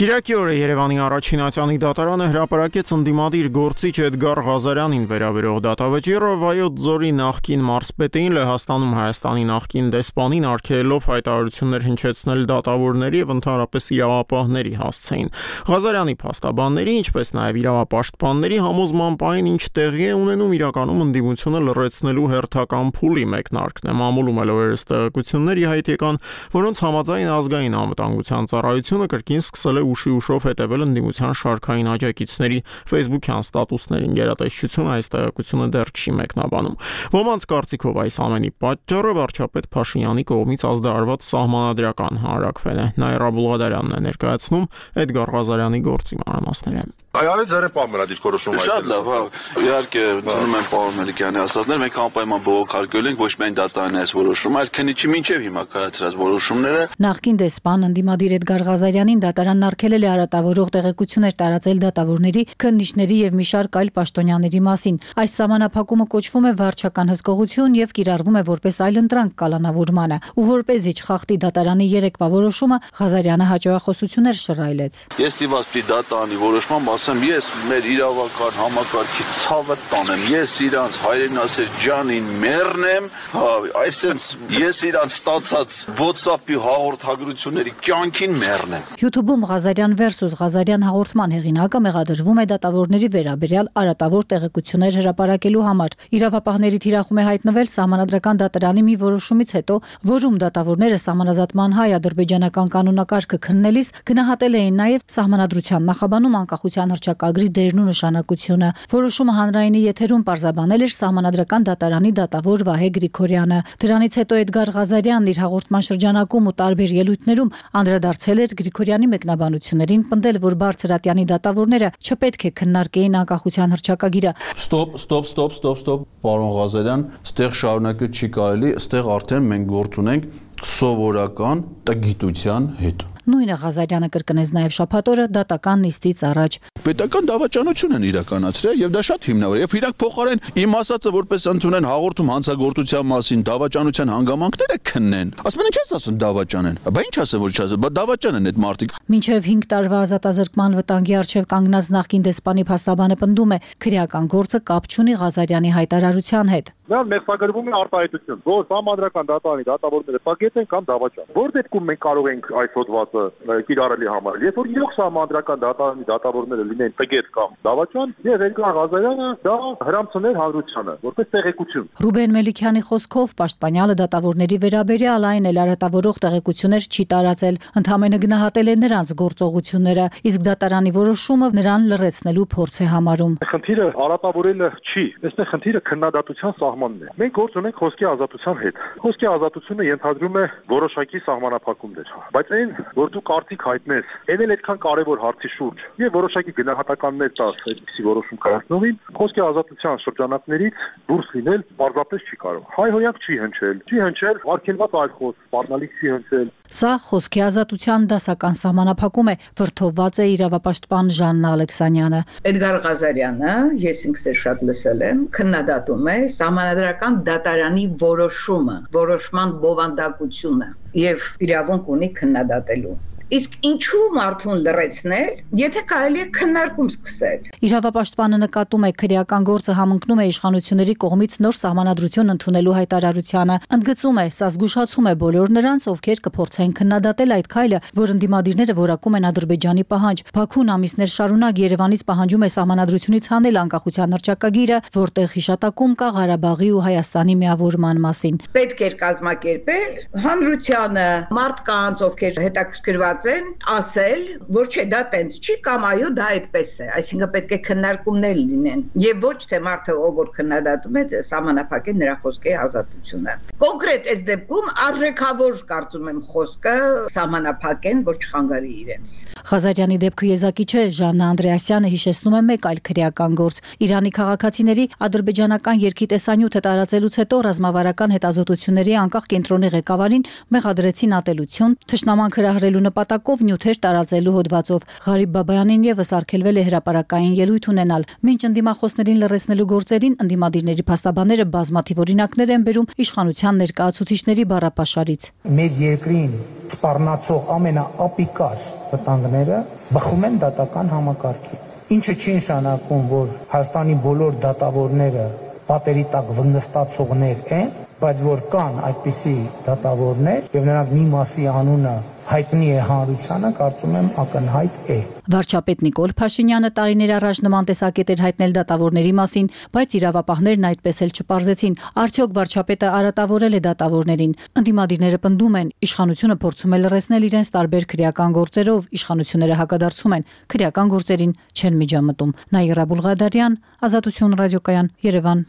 Կիրակի օրը Երևանի առաջին ատյանի դատարանը հրապարակեց ընդդիմադիր գործիչ Էդգար Ղազարյանին վերաբերող դատավճիռը Վայոց ձորի նախկին մարզպետին Լեհաստանում Հայաստանի նախկին դեսպանին արգելելով հայտարարություններ հնչեցնել դատավորների եւ ընդհանրապես իրավապահների հասցեին։ Ղազարյանի փաստաբանների, ինչպես նաեւ իրավապաշտպանների համոզման պայն ինչ տեղի է ունենում իրականում ընդդիմությունը լրացնելու հերթական փուլի մեկնարկն է, մամուլում էլ օրերս տեղեկություններ իհայտ եկան, որոնց համաձայն ազգային անվտանգության ծառայությունը կրկին սկսել է ուշի ուշով հետևել ընդդիմության շարքային աջակիցների Facebook-յան ստատուսներին գերատեսչությունը այս տեղեկությունը դեռ չի մեկնաբանում։ Ոմանց կարծիքով այս ամենի պատճառը վարչապետ Փաշինյանի կողմից ազդարարված սահմանադրական հանրակրվելն է։ Նաիրա Բուլղադարյանն է ներկայացնում Էդգար Ղազարյանի գործի մանրամասները։ Այո, ձեր պարոն դիրքորոշում այդպես։ Շատ լավ, հա։ Իհարկե, ծնում եմ պարոն Մելիքյանի ասածներ, մենք անպայման բողոքարկել ենք ոչ միայն դատարանի այս որոշումը, այլ քննիչի մինչև հիմա կայացրած որոշումները։ Նախկին դեսպան ընդդիմադիր Էդգար Ղազարյանին դատարանն արգելել է արատավորող տեղեկություններ տարածել դատավորների, քննիչների եւ մի շարք այլ պաշտոնյաների մասին։ Այս սահմանափակումը կոչվում է վարչական հսկողություն եւ կիրառվում է որպես այլընտրանք կալանավորմանը, ու որպեսզի չխախտի դատարանի երեկվա որոշումը, Ղազարյանը հաջողախոսություններ շռայլեց։ Ես դիված պիտի դատարանի որոշման ասեմ, ես մեր իրավական համակարգի ցավը տանեմ, ես իրանց հայրենասեր ջանին մեռնեմ, հա, այսինքն ես իրանց ստացած WhatsApp-ի հաղորդագրությունների կյանքին մեռնեմ։ YouTube-ում Ղազարյան versus Ղազարյան հաղորդման հեղինակը մեղադրվում է դատավորների վերաբերյալ արատավոր տեղեկություններ հրապարակելու համար։ Իրավապահների թիրախում է հայտնվել սահմանադրական դատարանի մի որոշումից հետո, որում դատավորները սահմանազատման հայ-ադրբեջանական կանոնակարգը քննելիս գնահատել էին նաև սահմանադրության նախաբանում անկախության հռչակագրի դերն ու նշանակությունը։ Որոշումը հանրայինի եթերում պարզաբանել էր սահմանադրական դատարանի դատավոր Վահե Գրիգորյանը։ Դրանից հետո Էդգար Ղազարյանն իր հաղորդման շրջանակում ու տարբեր ելույթներում անդրադարձել էր Գրիգորյանի մեկնաբանություններին, պնդել, որ բարձրատյանի դատավորները չպետք է քննարկեին անկախության հռչակագիրը։ Ստոպ, ստոպ, ստոպ, ստոպ, ստոպ, պարոն Ղազարյան, ստեղ շարունակել չի կարելի, ստեղ արդեն մենք գործ ունենք սովորական տգիտության հետ։ Նույնը Ղազարյանը կրկնեց նաև շաբաթ օրը դատական նիստից առաջ։ Պետական դավաճանություն են իրականացրել եւ դա շատ հիմնավոր է։ Եվ իրանք փոխարեն իմ ասածը որպես ընդունեն հաղորդում հանցագործության մասին, դավաճանության հանգամանքները քննեն։ Ասում են ինչ ես ասում դավաճան են։ Բա ինչ ասեմ որ չասեմ, բա դավաճան են այդ մարդիկ։ Մինչև հինգ տարվա ազատազրկման վտանգի առջև կանգնած նախկին դեսպանի փաստաբանը պնդում է, քրեական գործը կապ չունի Ղազարյանի հայտարարության հետ։ Նրան մեղսագրվում է արտահայտություն, որ համադրական դատարանի դատավորները տագետ են կամ դավաճան։ Որ դեպքում մենք կարող ենք այս հոդվածը կիրառելի համարել։ Երբ որ իրոք համադրական դատարանի դատավորները լինեն տագետ կամ դավաճան, եւ Էդգար Ղազարյանը դա հրամցներ հանրությանը, որպես տեղեկություն։ Ռուբեն Մելիքյանի խոսքով պաշտպանյալը դատավորների վերաբերյալ այն էլ արատավորող տեղեկություններ չի տարածել, ընդհանրապես գնահատել է նրանց գործողությունները, իսկ դատարանի որոշումը նրան լրացնելու փորձ է համարում։ Խնդիրը արատավորելը չի, այստեղ խնդիրը քննադատության սահմանն է։ Մենք գործ ունենք խոսքի ազատության հետ։ Խոսքի ազատությունը ենթադրում է որոշակի սահմանափակումներ, բայց այն, որ դու կարծիք հայտնես, այն էլ այդքան կարևոր հարցի շուրջ եւ որոշակի գնահատականներ տաս այդպիսի որոշում կայացնողին, խոսքի ազատության շրջանակներից դուրս լինել պարզապես չի կարող։ Հայհոյանք չի հնչել, չի հնչել արգելված այլ խոսք, սպառնալիք չի հնչել։ Սա խոսքի ազատության դասական սահմանափակում է, վրթովված է իրավապաշտպան Ժաննա Ալեքսանյանը։ Էդգար Ղազարյանը, ես ինքս շատ լսել եմ, քննադատում է սահմանադրական դատարանի որոշումը, որոշման բովանդակությունը եւ իրավունք ունի քննադատելու։ Իսկ ինչու մարդուն լրացնել, եթե կարելի է քննարկում սկսել։ Իրավապաշտպանը նկատում է քրեական գործը համընկնում է իշխանությունների կողմից նոր սահմանադրություն ընդունելու հայտարարությանը։ Ընդգծում է, սա զգուշացում է բոլոր նրանց, ովքեր կփորձեն քննադատել այդ քայլը, որ ընդդիմադիրները որակում են Ադրբեջանի պահանջ։ Բաքուն ամիսներ շարունակ Երևանից պահանջում է սահմանադրությունից հանել անկախության հռչակագիրը, որտեղ հիշատակում կա Ղարաբաղի ու Հայաստանի միավորման մասին։ Պետք էր կազմակերպել հանրությանը, մարդկանց, ովքեր հետաքրքրված են, ասել, որ չէ դա տենց չի կամ այո դա այդպես է, այսինքն պետք է քննարկումներ լինեն եւ ոչ թե մարդը ով որ քննադատում է սահմանափակել նրա խոսքի ազատությունը։ Կոնկրետ այս դեպքում արժեքավոր կարծում եմ խոսքը սահմանափակեն, որ չխանգարի իրենց։ Ղազարյանի դեպքը եզակի չէ, Ժաննա Անդրեասյանը հիշեցնում է մեկ այլ քրեական գործ։ Իրանի քաղաքացիների ադրբեջանական երկի տեսանյութը տարածելուց հետո ռազմավարական հետազոտությունների անկախ կենտրոնի ղեկավարին մեղադրեցին ատելություն, թշնամանք հրահրելու նպատակով նյութեր տարածելու հոդվածով։ Ղարիբ Բաբայանին եւս արգելվել է հրապարակային ելույթ ունենալ։ Մինչ ընդդիմախոսներին լրացնելու գործերին ընդդիմադիրների փաստաբանները բազմաթիվ օրինակներ են բերում իշխանության ներկայացուցիչների բառապաշարից։ Մեր երկրին սպառնացող ամենաապիկար վտանգները բխում են դատական համակարգից։ Ինչը չի նշանակում, որ Հայաստանի բոլոր դատավորները պատերի տակ վնգստացողներ են, բայց որ կան այդպիսի դատավորներ եւ նրանց մի մասի անունը հայտնի է հանրությանը, կարծում եմ ակնհայտ է։ Վարչապետ Նիկոլ Փաշինյանը տարիներ առաջ նման տեսակետ էր հայտնել դատավորների մասին, բայց իրավապահներն այդպես էլ չպարզեցին։ Արդյոք վարչապետը արատավորել է դատավորներին։ Ընդդիմադիրները պնդում են, իշխանությունը փորձում է լրացնել իրենց տարբեր քրեական գործերով, իշխանությունները հակադարձում են, քրեական գործերին չեն միջամտում։ Նաիրա Բուլղադարյան, Ազատություն ռադիոկայան, Երևան։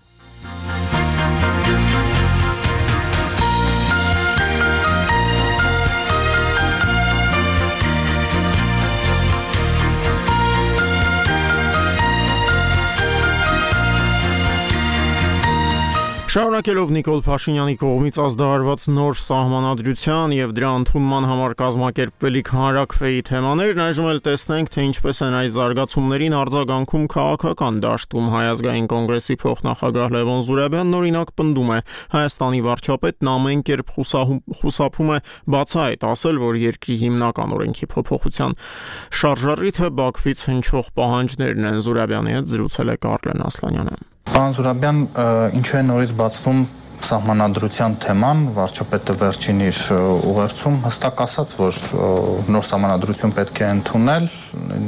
Շարունակելով Նիկոլ Փաշինյանի կողմից ազդարարված նոր սահմանադրության եւ դրա ընդունման համար կազմակերպվելիք հանրակրվեի թեմաներն, այժմ էլ տեսնենք, թե ինչպես են այս զարգացումներին արձագանքում քաղաքական դաշտում։ Հայ ազգային կոնգրեսի փոխնախագահ Լևոն Զուրաբյանն օրինակ պնդում է, Հայաստանի վարչապետն ամեն կերպ խուսափում է բացահայտ ասել, որ երկրի հիմնական օրենքի փոփոխության շարժառիթը Բաքվից հնչող պահանջներն են։ Զուրաբյանի հետ զրուցել է Կարլեն Ասլանյանը։ Պարոն Զուրաբյան, ինչու է նորից բացվում սահմանադրության թեման, վարչապետը վերջին իր ուղերձում հստակ ասաց, որ նոր սահմանադրություն պետք է ընդունել,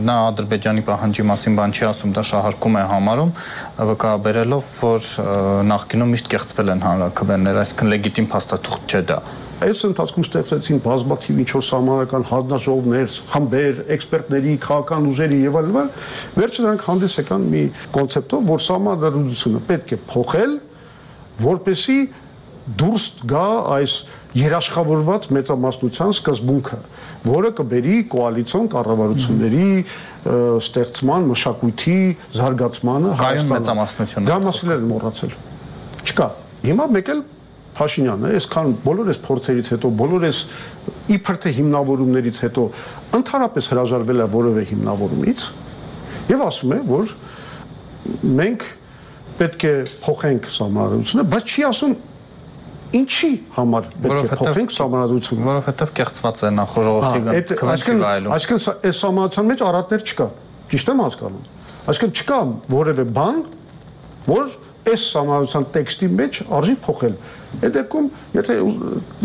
նա Ադրբեջանի պահանջի մասին բան չի ասում, դա շահարկում է համարում, վկայաբերելով, որ նախկինում միշտ կեղծվել են հանրաքվեներ, այսինքն լեգիտիմ փաստաթուղթ չէ դա։ Այս ընթացքում ստեղծեցին բազմաթիվ ինչ-որ սահմանական հանձնաժողովներ, խմբեր, էքսպերտների, քաղաքական ուժերի եւ այլն, վերջը նրանք հանդես եկան մի կոնցեպտով, որ սահմանադրությունը պետք է փոխել, որպեսզի դուրս գա այս երաշխավորված մեծամասնության սկզբունքը, որը կբերի կոալիցիոն կառավարությունների ստեղծման, մշակույթի զարգացմանը Հայաստանում մեծամասնությունը։ Դա մասն էլ մոռացել։ Չկա։ Հիմա մեկ էլ Փաշինյանը այսքան բոլոր այս փորձերից հետո, բոլոր այս իբր թե հիմնավորումներից հետո ընդհանրապես հրաժարվել է որևէ հիմնավորումից եւ ասում է, որ մենք պետք է փոխենք սահմանադրությունը, բայց չի ասում ինչի համար պետք է փոխենք սահմանադրությունը, որովհետեւ կեղծված է նախորդ քվեի վայելում։ Այսինքն այս սահմանության մեջ առատներ չկա։ Ճիշտ եմ հասկանում։ Այսինքն չկա որևէ բան, որ այս սահմանության տեքստի մեջ արժի փոխել։ Այդ դեպքում, եթե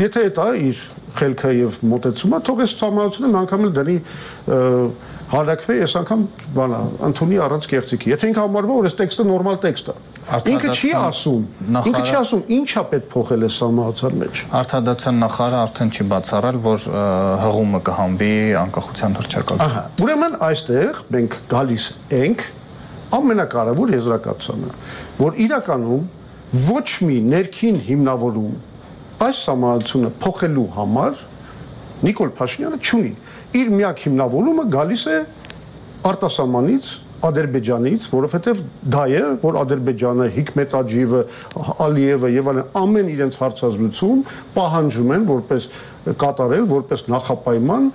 եթե դա իր խելքը եւ մոտեցումը, թող այս սահմանությունը մի անգամ էլ դնի հալակվի, այս անգամ բանա, ընդունի առանց կեղծիքի։ Եթե ինքը համարվում է, որ այս տեքստը նորմալ տեքստ է, ինքը չի ասում, ինքը չի ասում ինչա պետք փոխել այս սահմանության մեջ։ Արտադրության նախարարը արդեն չի բացառել, որ հղումը կհանվի անկախության հռչակագրում։ Ահա, ուրեմն այստեղ մենք գալիս ենք ամենակարևոր եզրակացությանը, որ իրականում ոչ մի ներքին հիմնավորում այս սահմանությունը փոխելու համար Նիկոլ Փաշինյանը չունի։ Իր միակ հիմնավորումը գալիս է արտասահմանից, Ադրբեջանից, որովհետև դա է, որ Ադրբեջանը, Հիկմետ Աջիևը, Ալիևը եւ այլն ամեն իրենց հարցազրույցում պահանջում են որպես կատարել, որպես նախապայման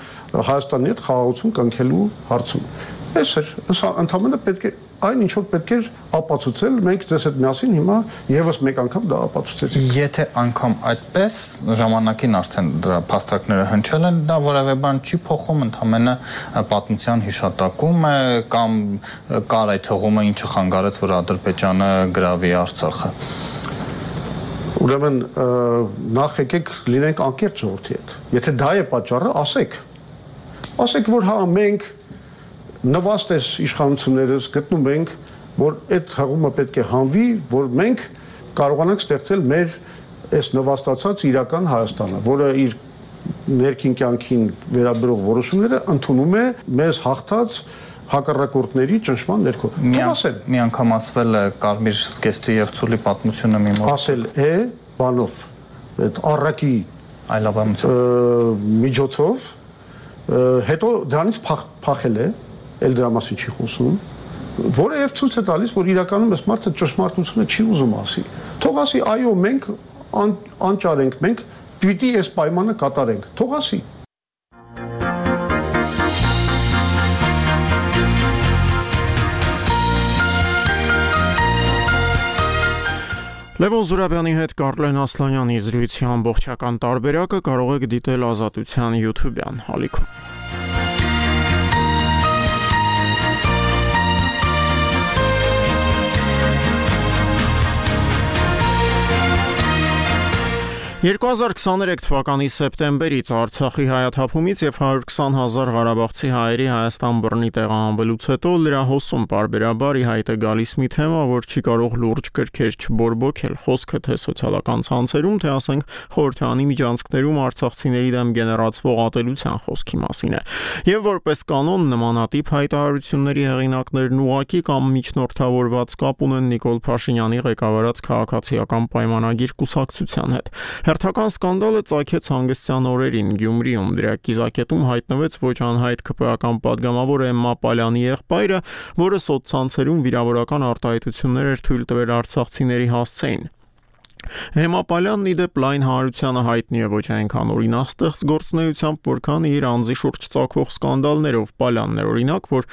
Հայաստանի հետ խաղաղություն կնքելու հարցում։ Այս է, սա ընդհանրապես պետք է այն ինչ որ պետք է ապացուցել, մենք ձեզ հետ միասին հիմա եւս մեկ անգամ դա ապացուցեցինք։ Եթե անգամ այդպես ժամանակին արդեն դրա փաստարկները հնչել են, դա որևէ բան չի փոխում, ընդհանրապես պատմության հիշատակում է կամ կար այդ հղումը, ինչը խանգարեց, որ Ադրբեջանը գրավի Արցախը։ Ուրեմն նախ եկեք լինենք անկեղծ ժողովրդի հետ։ Եթե դա է պատճառը, ասեք։ Ասեք, որ հա մենք նվաստես իշխանություններս գտնում ենք, որ այդ հղումը պետք է հանվի, որ մենք կարողանանք ստեղծել մեր այս նվաստացած իրական Հայաստանը, որը իր ներքին կյանքին վերաբերող որոշումները ընդունում է մեզ հաղթած հակառակորդների ճնշման ներքո։ Ասել, մի անգամ ասվել է Կարմիր զգեստի եւ Ցուլի պատմությունը մի մոտ։ Ասել է բանով, այդ առակի այլաբանությամբ միջոցով, հետո դրանից փախել է, էլ դրա մասին չի խոսում, որը եւ ցույց է տալիս, որ իրականում այս մարդը ճշմարտությունը չի ուզում ասի։ Թող ասի, այո, մենք անճար ենք, մենք պիտի այս պայմանը կատարենք։ Թող ասի։ Լևոն Զուրաբյանի հետ Կարլեն Ասլանյանի զրույցի ամբողջական տարբերակը կարող եք դիտել Ազատության YouTube-յան հալիքում։ երկու հազար քսաներեք թվականի սեպտեմբերից Արցախի հայաթափումից եւ հարյուր քսան հազար ղարաբաղցի հայերի Հայաստան բռնի տեղահանվելուց հետո լրահոսում պարբերաբար ի հայտ է գալիս մի թեմա, որ չի կարող լուրջ կրքեր չբորբոքել, խոսքը թե սոցիալական ցանցերում, թե ասենք խորհրդանի միջանցքներում արցախցիների դեմ գեներացվող ատելության խոսքի մասին է։ Եվ որպես կանոն նմանատիպ հայտարարությունների հեղինակներն ուղղակի կամ միջնորդավորված կապ ունեն Նիկոլ Փաշինյանի ղեկավարած քաղաքացիական պայմանագիր կուսակցության հետ։ Հերթական սկանդալը ծագեց հանգստյան օրերին Գյումրիում, դրա կիզակետում հայտնվեց ոչ անհայտ ԿՊ-ական պատգամավոր Էմմա Պալյանի եղբայրը, որը սոցցանցերում վիրավորական արտահայտություններ էր թույլ տվել արցախցիների հասցեին։ Էմմա Պալյանն ի դեպ լայն հանրությանը հայտնի է ոչ այնքան օրինախստեղծ գործունեությամբ, որքան իր անձի շուրջ ծագող սկանդալներով։ Պալյանն էր օրինակ, որ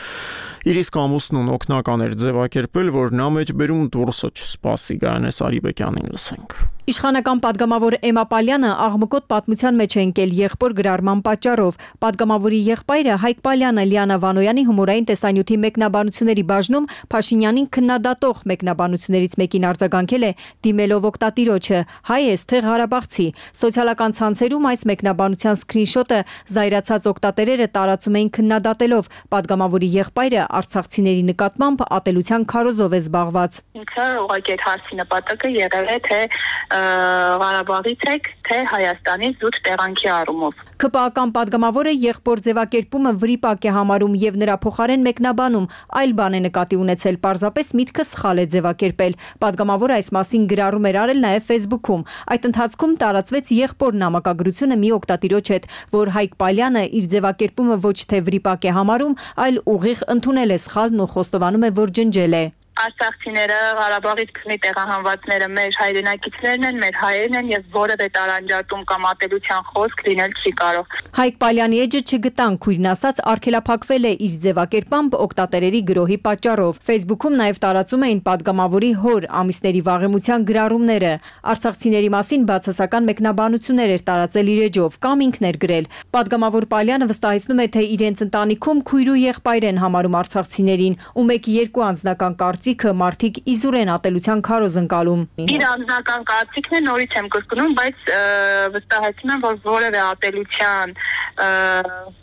իր իսկ ամուսնուն օգնական էր ձևակերպել, որ նա մեջբերում դուրսը չսպասի։ Գայանես Արիբեկյանին լսենք։ Իշխանական պատգամավոր Էմմա Պալյանը աղմկոտ պատմության մեջ է ընկել եղբոր գրառման պատճառով։ Պատգամավորի եղբայրը Հայկ Պալյանը Լիանա Վանոյանի հումորային տեսանյութի մեկնաբանությունների բաժնում Փաշինյանին քննադատող մեկնաբանություններից մեկին արձագանքել է դիմելով օգտատիրոջը՝ հայ ես թե ղարաբաղցի։ Սոցիալական ցանցերում այս մեկնաբանության սկրինշոթը զայրացած օգտատերերը տարածում էին քննադատելով պատգամավորի եղբայրը արցախցիների նկատմամբ ատելության քարոզով է զբաղված։ Ինքը ուղղակի այդ հարցի նպատակը եղել է թե Ղարաբաղից եք, թե Հայաստանից զուտ տեղանքի առումով։ ԿՊ-ական պատգամավորը եղբոր ձևակերպումը վրիպակ է համարում եւ նրա փոխարեն մեկնաբանում այլ բան է նկատի ունեցել, պարզապես միտքը սխալ է ձևակերպել։ Պատգամավորը այս մասին գրառում էր արել նաեւ Facebook-ում։ Այդ ընթացքում տարածվեց եղբոր նամակագրությունը մի օգտատիրոջ հետ, որ Հայկ Պալյանը իր ձևակերպումը ոչ թե վրիպակ է համարում, այլ ուղիղ ընդունել է սխալն ու խոստովանում է, որ ջնջել է։ Արցախցիները, Ղարաբաղից քնի տեղահանվածները մեր հայրենակիցներն են, մեր հայերն են եւ որևէ տարանջատում կամ ատելության խոսք լինել չի կարող։ Հայկ Պալյանի էջը չգտան, քույրն ասաց, արգելափակվել է իր ձևակերպամբ օկտատերերի գրոհի պատճառով։ Facebook-ում նաեւ տարածում էին падգամավորի հոր ամիսների վաղեմության գրառումները։ Արցախցիների մասին բացասական մեկնաբանություններ էր տարածել իր էջով կամ ինքն էր գրել։ Падգամավոր Պալյանը վստահեցնում է, թե իրենց ընտանիքում քույր ու եղբայր են համարում արցախցիներին, ու մեկ-երկու անձնական կարծիքը մարդիկ իզուր են ատելության քարոզ ընկալում։ Իր անձնական կարծիքն է, նորից եմ կրկնում, բայց վստահեցնում եմ, որ որևէ ատելության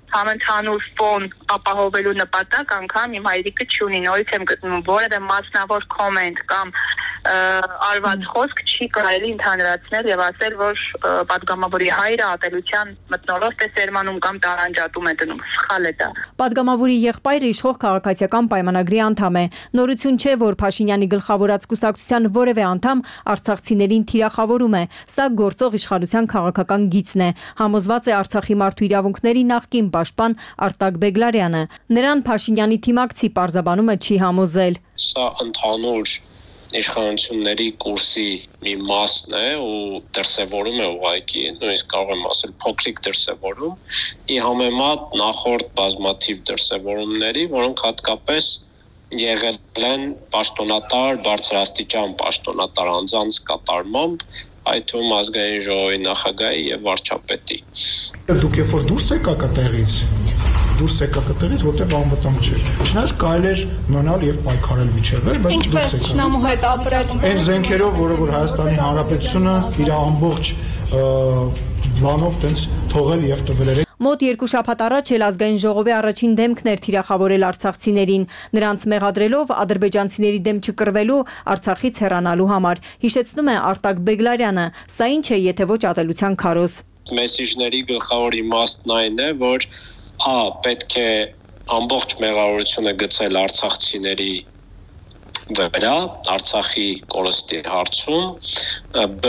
համընդհանուր ֆոն ապահովելու նպատակ անգամ իմ հայրիկը չունի, նորից եմ գտնում, որևէ մասնավոր կոմենտ կամ արված խոսք չի կարելի ընդհանրացնել եւ ասել, որ падգամավորի հայրը ատելության մթնոլորտ է սերմանում կամ տարանջատում է դնում։ Սխալ է դա։ Падգամավորի եղբայրը իշխող քաղաքացիական պայմանագրի անդամ է։ Նորություն չէ, որ Փաշինյանի գլխավորած կուսակցության որևէ անդամ արցախցիներին թիրախավորում է։ Սա գործող իշխանության քաղաքական գիծն է։ Համոզված է Արցախի մարդու իրավունքների նախկին պաշտպան Արտակ Բեգլարյանը։ Նրան Փաշինյանի թիմակցի պարզաբանումը չի համոզել։ Սա ընդհանուր իշխանությունների կուրսի մի մասն է ու դրսևորում է ուղղակի, նույնիսկ կարող եմ ասել փոքրիկ դրսևորում, ի համեմատ նախորդ բազմաթիվ դրսևորումների, որոնք հատկապես եղել են պաշտոնատար, բարձրաստիճան պաշտոնատար անձանց կատարմամբ, այդ թվում ազգային ժողովի նախագահի եւ վարչապետի։ Դուք երբ որ դուրս եկաք այդտեղից, դուրս եկաք այդտեղից, որտեղ անվտանգ չէ։ Չնայած կարելի էր նոնալ եւ պայքարել միջև, բայց դուրս եկաք։ Ինչպես հետ ապրել։ Այն զենքերով, որը որ Հայաստանի Հանրապետությունը իր ամբողջ բանով տենց թողել եւ տվել էր։ Մոտ երկու շաբաթ առաջ էլ ազգային ժողովի առաջին դեմքն էր թիրախավորել արցախցիներին, նրանց մեղադրելով ադրբեջանցիների դեմ չկռվելու, Արցախից հեռանալու համար։ Հիշեցնում է Արտակ Բեգլարյանը, սա ինչ է, եթե ոչ ատելության քարոզ։ Մեսիջների գլխավոր իմաստն այն է, որ ա պետք է ամբողջ մեղավորությունը գցել արցախցիների վրա, Արցախի կորստի հարցում, բ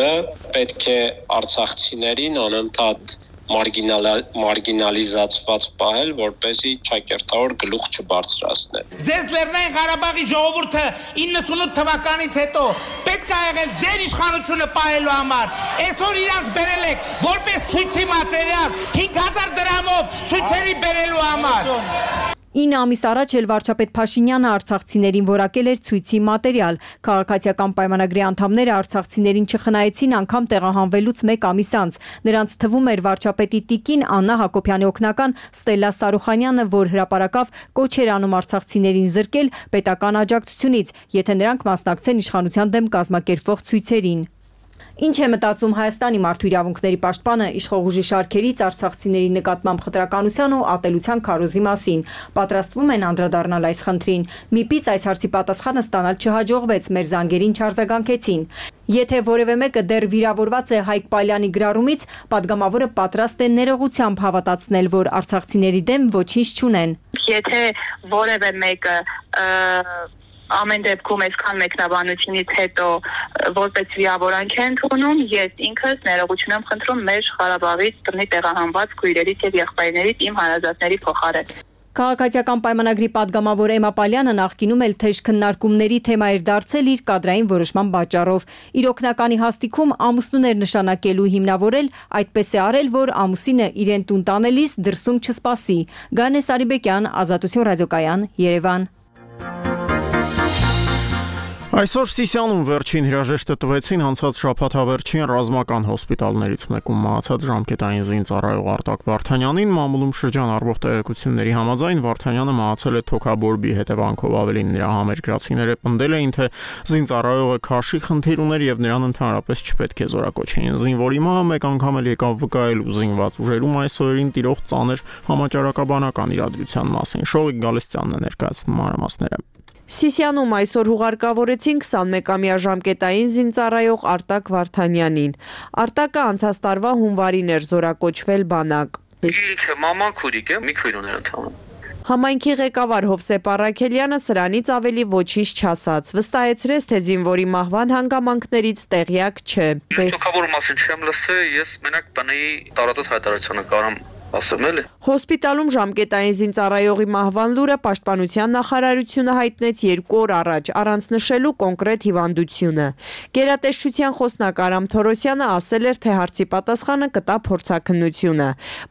պետք է արցախցիներին անընդհատ մարգինալիզացված պահել, որպեսզի ճակերտավոր գլուխ չբարձրացնեն։ Ձեզ Լեռնային Ղարաբաղի ժողովուրդը իննսունութ թվականից հետո պետք է եղել ձեր իշխանությունը պահելու համար։ Այսօր իրանց բերել եք որպես ցույցի մատերիալ հինգ հազար դրամով ցույցերի բերելու համար։ ինը ամիս առաջ էլ վարչապետ Փաշինյանը արցախցիներին որակել էր ցույցի մատերիալ։ Քաղաքացիական պայմանագրի անդամները արցախցիներին չխնայեցին անգամ տեղահանվելուց մեկ ամիս անց։ Նրանց թվում էր վարչապետի տիկին Աննա Հակոբյանի օգնական Ստելլա Սարուխանյանը, որ հրապարակավ կոչ էր անում արցախցիներին զրկել պետական աջակցությունից, եթե նրանք մասնակցեն իշխանության դեմ կազմակերպվող ցույցերին։ Ինչ է մտածում Հայաստանի մարդու իրավունքների պաշտպանը իշխող ուժի շարքերից արցախցիների նկատմամբ խտրականության ու ատելության քարոզի մասին։ Պատրաստվում են անդրադառնալ այս խնդրին։ Միպից այս հարցի պատասխանը ստանալ չհաջողվեց, մեր զանգերին չարձագանքեցին։ Եթե որևէ մեկը դեռ վիրավորված է Հայկ Պալյանի գրառումից, падգամավորը պատրաստ է ներողությամբ հավատացնել, որ արցախցիների դեմ ոչինչ չունեն։ Եթե որևէ մեկը ամեն դեպքում այսքան մեկնաբանությունից հետո որպես վիրավորանք է ընդունում, ես ինքս ներողություն եմ խնդրում մեր Ղարաբաղից բռնի տեղահանված քույրերից եւ եղբայրներից իմ հարազատների փոխարեն։ Քաղաքացիական պայմանագրի падգամավոր Էմմա Պալյանը նախկինում էլ թեժ քննարկումների թեմա էր դարձել իր կադրային որոշման պատճառով։ Իր օգնականի հաստիքում ամուսնուներ նշանակելու հիմնավորել, այդպես է արել, որ ամուսինը իրեն տուն տանելիս դրսում չսպասի։ Գանե Սարիբեկյան, Ազատություն ռադիոկայան, Երևան։ Այսօր Սիսիանում վերջին հրաժեշտը տվեցին անցած շաբաթ հավերջին ռազմական հոսպիտալներից մեկում մահացած ժամկետային զինծառայող Արտակ Վարդանյանին։ Մամուլում շրջան առվող տեղեկությունների համաձայն Վարդանյանը մահացել է թոքաբորբի հետևանքով, ավելին նրա համերկրացիները պնդել էին, թե զինծառայողը քաշի խնդիր ուներ եւ նրան ընդհանրապես չպետք է զորակոչեին։ Զինվորի մահը մեկ անգամ էլ եկավ վկայելու զինված ուժերում այս օրերին տիրող ծանր համաճարակաբանական իրադրության մասին։ Շողիկ Գալստյանն է ներկայացնում մանրամասները։ Սիսիանում այսօր հուղարկավորեցին քսանմեկամյա ժամկետային զինծառայող Արտակ Վարդանյանին։ Արտակը անցած տարվա հունվարին էր զորակոչվել բանակ։ Ինքը մաման քուրիկ է, մի քույր ուներ ընդհանուր։ Համայնքի ղեկավար Հովսեփ Առաքելյանը սրանից ավելի ոչինչ չասաց, վստահեցրեց, թե զինվորի մահվան հանգամանքներից տեղյակ չէ։ Թոքաբորի մասին չեմ լսել, ես մենակ բնեի տարածած հայտարարությունը կարամ ասեմ էլի։ Հոսպիտալում ժամկետային զինծառայողի մահվան լուրը Պաշտպանության նախարարությունը հայտնեց երկու օր առաջ, առանց նշելու կոնկրետ հիվանդությունը։ Գերատեսչության խոսնակ Արամ Թորոսյանը ասել էր, թե հարցի պատասխանը կտա փորձաքննությունը,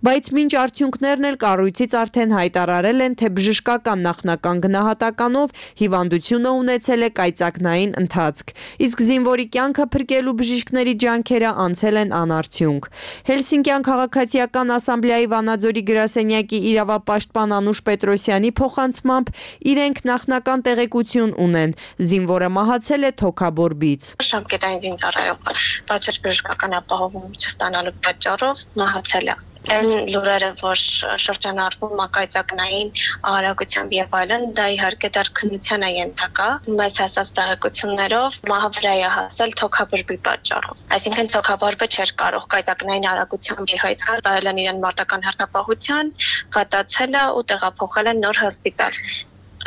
բայց մինչ արդյունքներն էլ կառույցից արդեն հայտարարել են, թե բժշկական նախնական գնահատականով հիվանդությունը ունեցել է կայծակնային ընթացք, իսկ զինվորի կյանքը փրկելու բժիշկների ջանքերը անցել են անարդյունք։ Հելսինկյան քաղաքացիական ասամբլեայի Վանաձորի գրասենյակի իրավապաշտպան Անուշ Պետրոսյանի փոխանցմամբ իրենք նախնական տեղեկություն ունեն, զինվորը մահացել է թոքաբորբից։ Ժամկետային զինծառայողը բացր բժշկական ապահովում չստանալու պատճառով մահացել է։ Այն լուրերը, որ շրջանառվում մակայծակնային արագությամբ եւ այլն, դա իհարկե դեռ քննության է ենթակա։ Մեզ հասած տեղեկություններով մահը վրա է հասել թոքաբորբի պատճառով։ Այսինքն թոքաբորբը չէր կարող կայծակնային արագությամբ հայտնվել, տարել են իրեն մարտական հերթապահության, կատացել է ու տեղափոխել են նոր հոսպիտալ։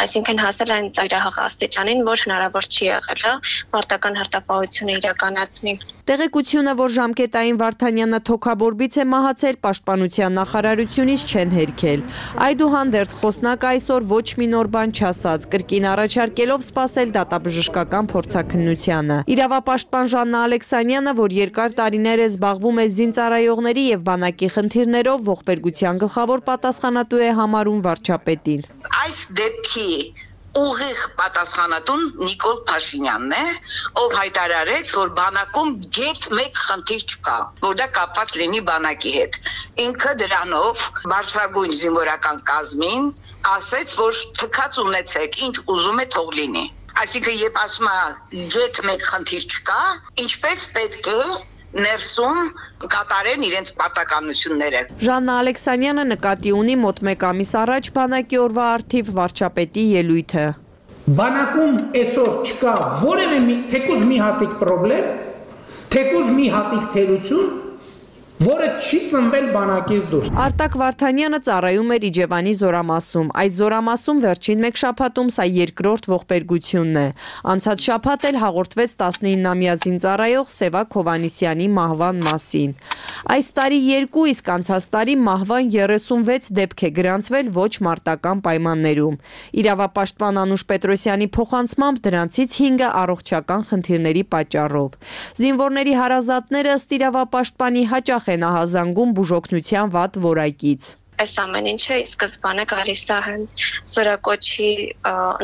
Այսինքն հասել են ծայրահեղ աստիճանին, որ հնարավոր չի եղել մարտական հերթապահությունը իրականացնի։ Տեղեկությունը, որ ժամկետային Վարդանյանը թոքաբորբից է մահացել, Պաշտպանության նախարարությունից չեն հերքել։ Այդուհանդերձ խոսնակը այսօր ոչ մի նոր բան չասաց, կրկին առաջարկելով սպասել դատաբժշկական փորձաքննությանը։ Իրավապաշտպան Ժաննա Ալեքսանյանը, որ երկար տարիներ է զբաղվում է զինծառայողների եւ բանակի խնդիրներով, ողբերգության գլխավոր պատասխանատու է համարում վարչապետին։ Այս դեպքի ուղիղ պատասխանատուն Նիկոլ Փաշինյանն է, ով հայտարարեց, որ բանակում գետ մեկ խնդիր չկա, որ դա կապված լինի բանակի հետ։ Ինքը դրանով բարձրագույն զինվորական կազմին ասեց, որ թքած ունեցեք, ինչ ուզում է թող լինի։ Այսինքն, երբ ասում է գետ մեկ խնդիր չկա, ինչպես պետք է ներսում կատարեն իրենց պարտականությունները։ Ժաննա Ալեքսանյանը նկատի ունի մոտ մեկ ամիս առաջ բանակի օրվա առթիվ վարչապետի ելույթը։ Բանակում այսօր չկա որևէ մի թեկուզ մի հատիկ խնդրեմ, թեկուզ մի հատիկ թերություն, որը չի ծնվել բանակից դուրս։ Արտակ Վարդանյանը ծառայում էր Իջևանի զորամասում։ Այս զորամասում վերջին մեկ շաբաթում սա երկրորդ ողբերգությունն է։ Անցած շաբաթ էլ հաղորդվեց տասնինամյա զինծառայող Սևակ Հովհաննիսյանի մահվան մասին։ Այս տարի երկու, իսկ անցած տարի մահվան երեսունվեց դեպք է գրանցվել ոչ մարտական պայմաններում։ Իրավապաշտպան Անուշ Պետրոսյանի փոխանցմամբ դրանցից հինգը առողջական խնդիրների պատճառով։ Զինվորների հարազատները ըստ իրավապաշտպանի հաճախ են ահազանգում բուժօգնության վատ որակից։ Այս ամեն ինչը ի սկզբանե գալիս է հենց զորակոչի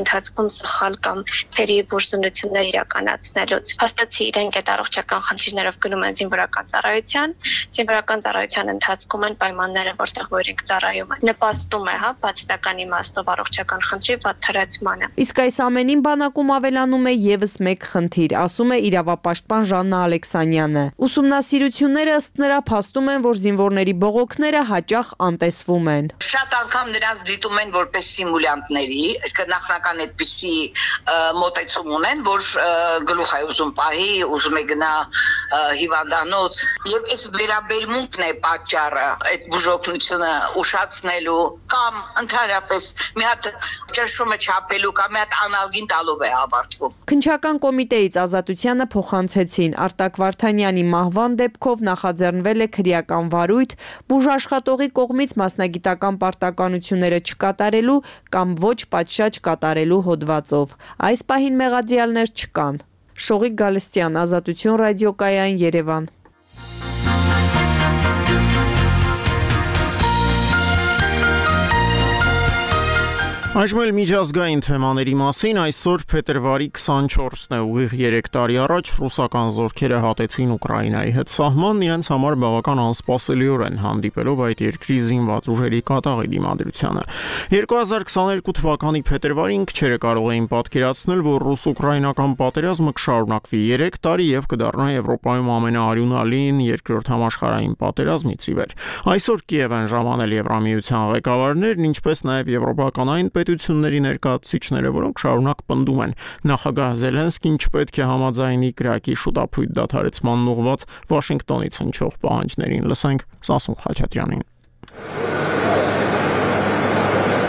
ընթացքում սխալ կամ թերի բուժզնություններ իրականացնելուց։ Փաստացի իրենք այդ առողջական խնդիրներով գնում են զինվորական ծառայության, զինվորական ծառայության ընթացքում են պայմանները, որտեղ որ իրենք ծառայում են, նպաստում է, հա, բացասական իմաստով առողջական խնդրի վատ թրացմանը։ Իսկ այս ամենին բանակում ավելանում է եւս մեկ խնդիր, ասում է իրավապաշտպան Ժաննա Ալեքսանյանը։ Ուսումնասիրությունները ըստ նրա փաստում են, որ զինվորների բողոքները հաճախ անտես են։ Շատ անգամ նրանց դիտում են որպես սիմուլյանտների, իսկ նախնական այդպիսի մոտեցում ունեն, որ գլուխ է ուզում պահի, ուզում է գնա հիվանդանոց, եւ այս վերաբերմունքն է պատճառը այդ բուժօգնությունը ուշացնելու կամ ընդհանրապես մի հատ ճնշումը չափելու կամ մի հատ անալգին տալով է ավարտվում։ Քննչական կոմիտեից Ազատությանը փոխանցեցին Արտակ Վարդանյանի մահվան դեպքով նախաձեռնվել է քրեական վարույթ բուժաշխատողի կողմից մասնագիտական պարտականությունները չկատարելու կամ ոչ պատշաճ կատարելու հոդվածով։ Այս պահին մեղադրյալներ չկան։ Շողիկ Գալստյան, Ազատություն ռադիոկայան, Երևան։ Այժմ էլ միջազգային թեմաների մասին այսօր փետրվարի քսանչորսն է, ուղիղ երեք տարի առաջ ռուսական զորքերը հատեցին Ուկրաինայի հետ սահման, իրենց համար բավական անսպասելիորեն հանդիպելով այդ երկրի զինված ուժերի կատաղի դիմադրությանը։ երկու հազար քսաներկու թվականի փետրվարին քչերը կարող էին պատկերացնել, որ ռուս-ուկրաինական պատերազմը կշարունակվի երեք տարի եւ կդառնա Եվրոպայում ամենաարյունալին երկրորդ համաշխարհային պատերազմից ի վեր։ Այսօր Կիև են ժամանել Եվրամիության ղեկավարներն, ինչպես նաեւ եվրոպական այն պետությունների ներկայացուցիչները, որոնք շարունակ պնդում են նախագահ Զելենսկին չպետք է համաձայնի Կրակի շուտափույթ դադարեցման ուղղված Վաշինգտոնից հնչող պահանջներին։ Լսենք Սասուն Խաչատրյանին։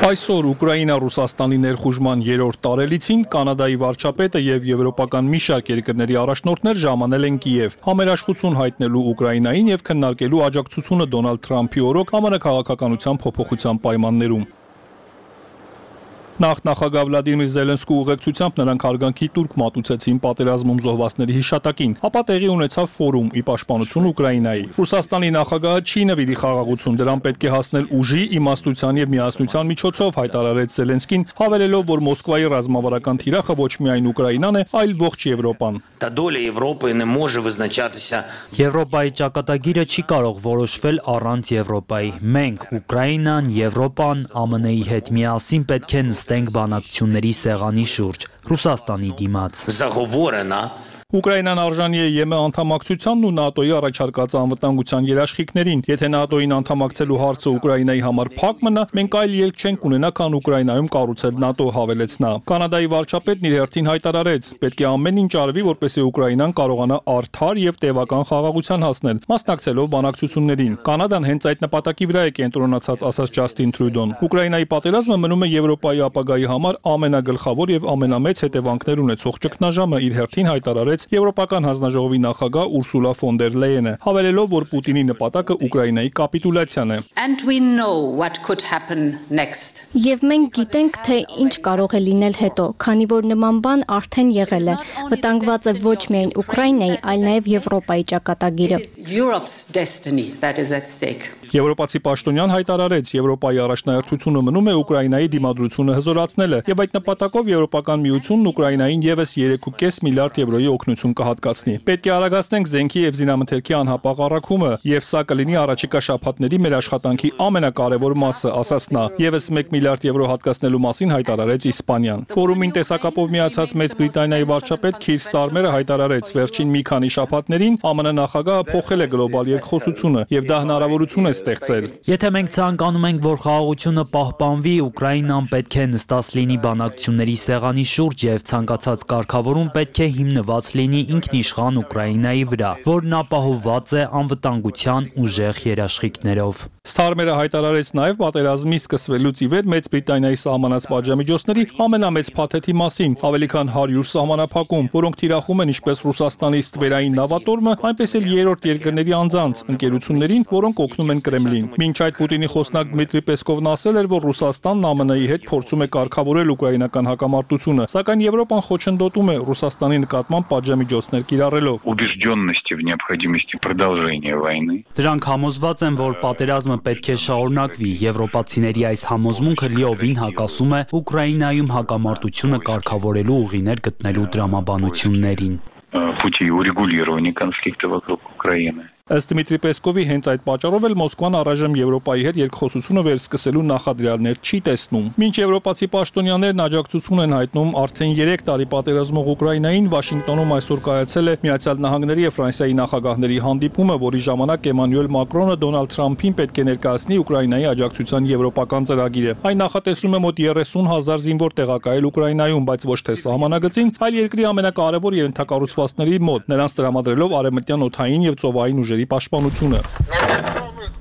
Այսօր Ուկրաինա-Ռուսաստանի ներխուժման երրորդ տարելիցին Կանադայի վարչապետը եւ եվրոպական մի շարք երկրների առաջնորդներ ժամանել են Կիև, համերաշխություն հայտնելու Ուկրաինային եւ քննարկելու աջակցությունը Դոնալդ Թրամփի օրոք ԱՄՆ քաղաքականության փոփոխության պայմաններում։ Նախ նախագահ Վլադիմիր Զելենսկու ուղեկցությամբ նրանք հարգանքի տուրք մատուցեցին պատերազմում զոհվածների հիշատակին, ապա տեղի ունեցավ ֆորում ի պաշտպանություն Ուկրաինայի։ Ռուսաստանի նախագահը չի նվիրի խաղաղություն, դրան պետք է հասնել ուժի, իմաստության եւ միասնության միջոցով, հայտարարեց Զելենսկին, հավելելով, որ Մոսկվայի ռազմավարական թիրախը ոչ միայն Ուկրաինան է, այլ ողջ Եվրոպան։ Та доля Європи не може визначатися. Եվրոպայի ճակատագիրը չի կարող որոշվել առանց Եվրոպայի։ Մենք, Ուկրաինան, Եվրոպան, ԱՄՆ-ի հետ միասին պետք է նստենք բանակցությունների սեղանի շուրջ, Ռուսաստանի դիմաց։ Заговорена. Ուկրաինան արժանի է ԵՄ անդամակցությանն ու ՆԱՏՕ-ի առաջարկած անվտանգության երաշխիքներին։ Եթե ՆԱՏՕ-ին անդամակցելու հարցը Ուկրաինայի համար փակ մնա, մենք այլ ելք չենք ունենա, քան Ուկրաինայում կառուցել ՆԱՏՕ, հավելեց նա։ Կանադայի վարչապետն իր հերթին հայտարարեց. պետք է ամեն ինչ արվի, որպեսզի Ուկրաինան կարողանա արդար եւ տևական խաղաղության հասնել, մասնակցելով բանակցություններին։ Կանադան հենց այդ նպատակի վրա է կենտրոնացած, ասաց Ջաստին Թրյուդոն։ Ուկրաինայի պատերազմը մնում է Եվրոպայի ապագայի համար ամենագլխավոր եւ ամենամեծ հետևանքներ ունեցող ճգնաժամը, իր հերթին հայտարարեց Եվրոպական հանձնաժողովի նախագահ Ուրսուլա ֆոն դեր Լեյենը, հավելելով, որ Պուտինի նպատակը Ուկրաինայի կապիտուլյացիան է։ And we know what could happen next. Եվ մենք գիտենք, թե ինչ կարող է լինել հետո, քանի որ նման բան արդեն եղել է։ Վտանգված է ոչ միայն Ուկրաինայի, այլ նաև Եվրոպայի ճակատագիրը։ Europe's destiny that is at stake. Եվրոպացի պաշտոնյան հայտարարեց, Եվրոպայի առաջնահերթությունը մնում է Ուկրաինայի դիմադրությունը հզորացնելը, եւ այդ նպատակով Եվրոպական միությունն Ուկրաինային եւս երեք կόμμα պենս միլիարդ եվրոյի օգնություն կհատկացնի։ Պետք է արագացնենք զենքի եւ զինամթերքի անհապաղ առաքումը, եւ սա կլինի առաջիկա շաբաթների մեր աշխատանքի ամենակարևոր մասը, ասաց նա։ Եվս մեկ միլիարդ եվրո հատկացնելու մասին հայտարարեց Իսպանիան։ Ֆորումին տեսակապով միացած Մեծ Բրիտանիայի վարչապետ Քիր Ստարմերը հայտարարեց, վերջին մի քանի շաբաթներին ԱՄՆ նախագահը փոխել է գլոբալ երկխոսությունը եւ դա հնարավորություն է ստեղծել։ Եթե մենք ցանկանում ենք, որ խաղաղությունը պահպանվի, Ուկրաինան պետք է նստած լինի բանակցությունների սեղանի շուրջ եւ ցանկացած կարգավորում պետք է հիմնված լինի ինքնիշխան Ուկրաինայի վրա, որն ապահովված է անվտանգության ուժեղ երաշխիքներով։ Ստարմերը հայտարարեց նաև պատերազմի սկսվելուց ի վեր Մեծ Բրիտանիայի սահմանած պատժամիջոցների ամենամեծ փաթեթի մասին, ավելի քան հարյուր սահմանափակում, որոնք թիրախում են ինչպես Ռուսաստանի ստվերային նավատորմը, այնպես էլ երրորդ երկրների անձանց, ընկերություններին, որոնք օգնում են Կրեմլին։ Մինչ այդ Պուտինի խոսնակ Դմիտրի Պեսկովն ասել էր, որ Ռուսաստանն ԱՄՆ-ի հետ փորձում է կարգավորել ուկրաինական հակամարտությունը, սակայն Եվրոպան խոչընդոտում է Ռուսաստանի նկատմամբ պատժամիջոցներ կիրառելով։ Убежденности в необходимости продолжения войны. Դրանք համոզված են, որ պատերազմը պետք է շարունակվի։ Եվրոպացիների այս համոզմունքը լիովին հակասում է Ուկրաինայում հակամարտությունը կարգավորելու ուղիներ գտնելու դրամաբանություններին։ Пути урегулирования конфликта вокруг Украины. Ըստ Դմիտրի Պեսկովի հենց այդ պատճառով էլ Մոսկվան առայժմ Եվրոպայի հետ երկխոսությունը վերսկսելու նախադրյալներ չի տեսնում։ Մինչ եվրոպացի պաշտոնյաներն աջակցություն են հայտնում արդեն երեք տարի պատերազմող Ուկրաինային, Վաշինգտոնում այսօր կայացել է Միացյալ Նահանգների եւ Ֆրանսիայի նախագահների հանդիպումը, որի ժամանակ Էմանուել Մակրոնը Դոնալդ Թրամփին պետք է ներկայացնի Ուկրաինայի աջակցության եվրոպական ծրագիրը։ Այն նախատեսում է մոտ երեսուն հազար զինվոր տեղակայել Ուկրաինայում, բայց ոչ թե սահմանագծին, այլ երկրի ամենակարևոր ենթակառուցվածքների մոտ, նրանց տրամադրելով արևմտյան օդային եւ ծովային ուժերի պաշտպանությունը։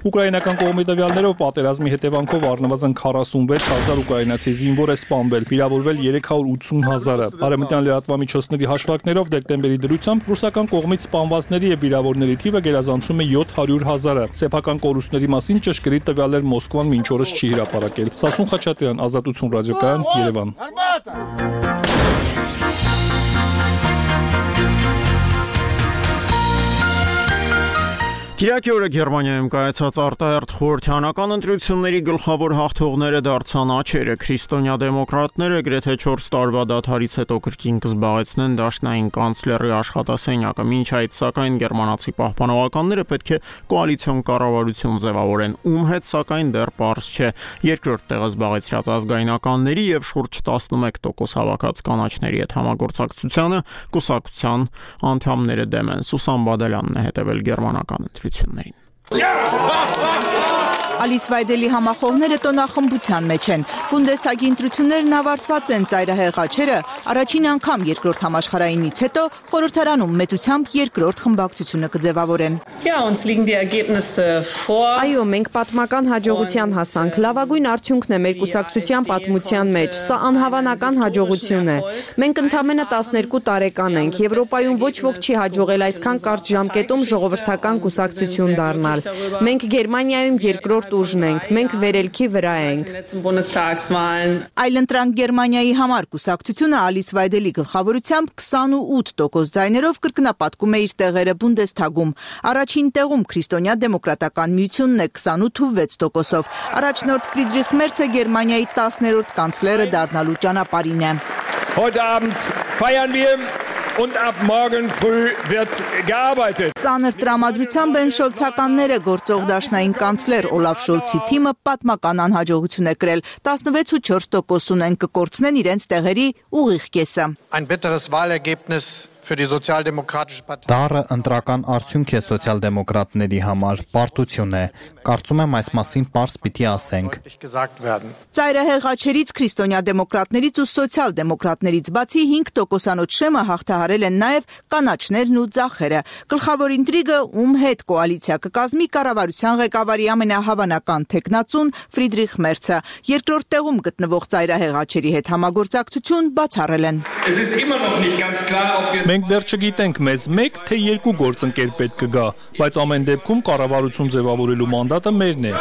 Ուկրաինական կողմի տվյալներով պատերազմի հետևանքով առնվազն քառասունվեց հազար ուկրաինացի զինվոր է սպանվել, վիրավորվել երեք հարյուր ութսուն հազարը։ Արևմտյան լրատվամիջոցների հաշվարկներով դեկտեմբերի դրությամբ ռուսական կողմից սպանվածների եւ վիրավորների թիվը գերազանցում է յոթ հարյուր հազարը։ Սեփական կորուստների մասին ճշգրիտ տվյալներ Մոսկվան մինչ օրս չի հրապարակել։ Սասուն Խաչատրյան, Ազատություն ռադիոկայան, Երևան։ Կիրակի օրը Գերմանիայում կայացած արտահերթ խորհրդյանական ընտրությունների գլխավոր հաղթողները դարձան աջերը։ Քրիստոնյա դեմոկրատները գրեթե չորս տարվա դադարից հետո կրկին կզբաղեցնեն դաշնային կանցլերի աշխատասենյակը։ Մինչ այդ, սակայն, գերմանացի պահպանողականները պետք է կոալիցիոն կառավարություն ձևավորեն, ում հետ սակայն դեռ պարզ չէ։ Երկրորդ տեղը զբաղեցրած ազգայնականների եւ շուրջ տասնմեկ տոկոս հավաքած կանաչների հետ համագործակցությանը կուսակցության անդամները դեմ են։ Սուսան Բադալյանն է հետևել գերմանական ընտրություններին։ Ալիս Վայդելի համախոհները տոնախմբության մեջ են։ Բունդեսթագի ընտրություններն ավարտված են, ծայրահեղ աչերը առաջին անգամ երկրորդ համաշխարհայինից հետո խորհրդարանում մեծությամբ երկրորդ խմբակցությունը կձևավորեն։ Այո, մենք պատմական հաջողության հասանք։ Լավագույն արդյունքն է մեր կուսակցության պատմության մեջ։ Սա անհավանական հաջողություն է։ Մենք ընդամենը տասներկու տարեկան ենք։ Եվրոպայում ոչ ոք չի հաջողել այսքան կարճ ժամկետում ժողովրդական կուսակցություն դառնալ։ Մենք Գերմանիայում երկրորդ ուժն ենք, մենք վերելքի վրա ենք։ Այլընտրանք Գերմանիայի համար կուսակցությունը Ալիս Վայդելի գլխավորությամբ քսանուութ տոկոս ձայներով կրկնապատկում է իր տեղերը Բունդեսթագում։ Առաջին տեղում Քրիստոնյա դեմոկրատական միությունն է քսանութ ու վեց տոկոսով։ Առաջնորդ Ֆրիդրիխ Մերցը Գերմանիայի տասներորդ կանցլերը դառնալու ճանապարհին է։ Heute Abend feiern wir und ab morgen früh wird gearbeitet. Ծանր տրամադրությամբ են շոլցականները գործող դաշնային կանցլեր Օլաֆ Շոլցի թիմը պատմական անհաջողություն է կրել։ տասնվեց ու չորս տոկոս ունեն կկորցնեն իրենց տեղերի ուղիղ կեսը։ Ein bitteres Wahlergebnis für die Sozialdemokratische Partei. Դառը ընտրական արդյունք է սոցիալ-դեմոկրատների համար, պարտություն է։ Կարծում եմ այս մասին պարզ պիտի ասենք։ Ծայրահեղ աչերից քրիստոնյա դեմոկրատներից ու սոցիալ-դեմոկրատներից բացի հինգ տոկոսանոց շեմը հաղթահարել են նաև կանաչներն ու ձախերը։ Գլխավոր ինտրիգը ում հետ կոալիցիա կկազմի կառավարության ղեկավարի ամենահավանական թեկնածուն Ֆրիդրիխ Մերցը։ Երկրորդ տեղում գտնվող ծայրահեղ աչերի հետ համագործակցություն բացառել են։ Մենք դեռ չգիտենք մեզ մեկ թե երկու գործընկեր պետք կգա, բայց ամեն դեպքում կառավարություն ձևավորելու մանդատը մերն է։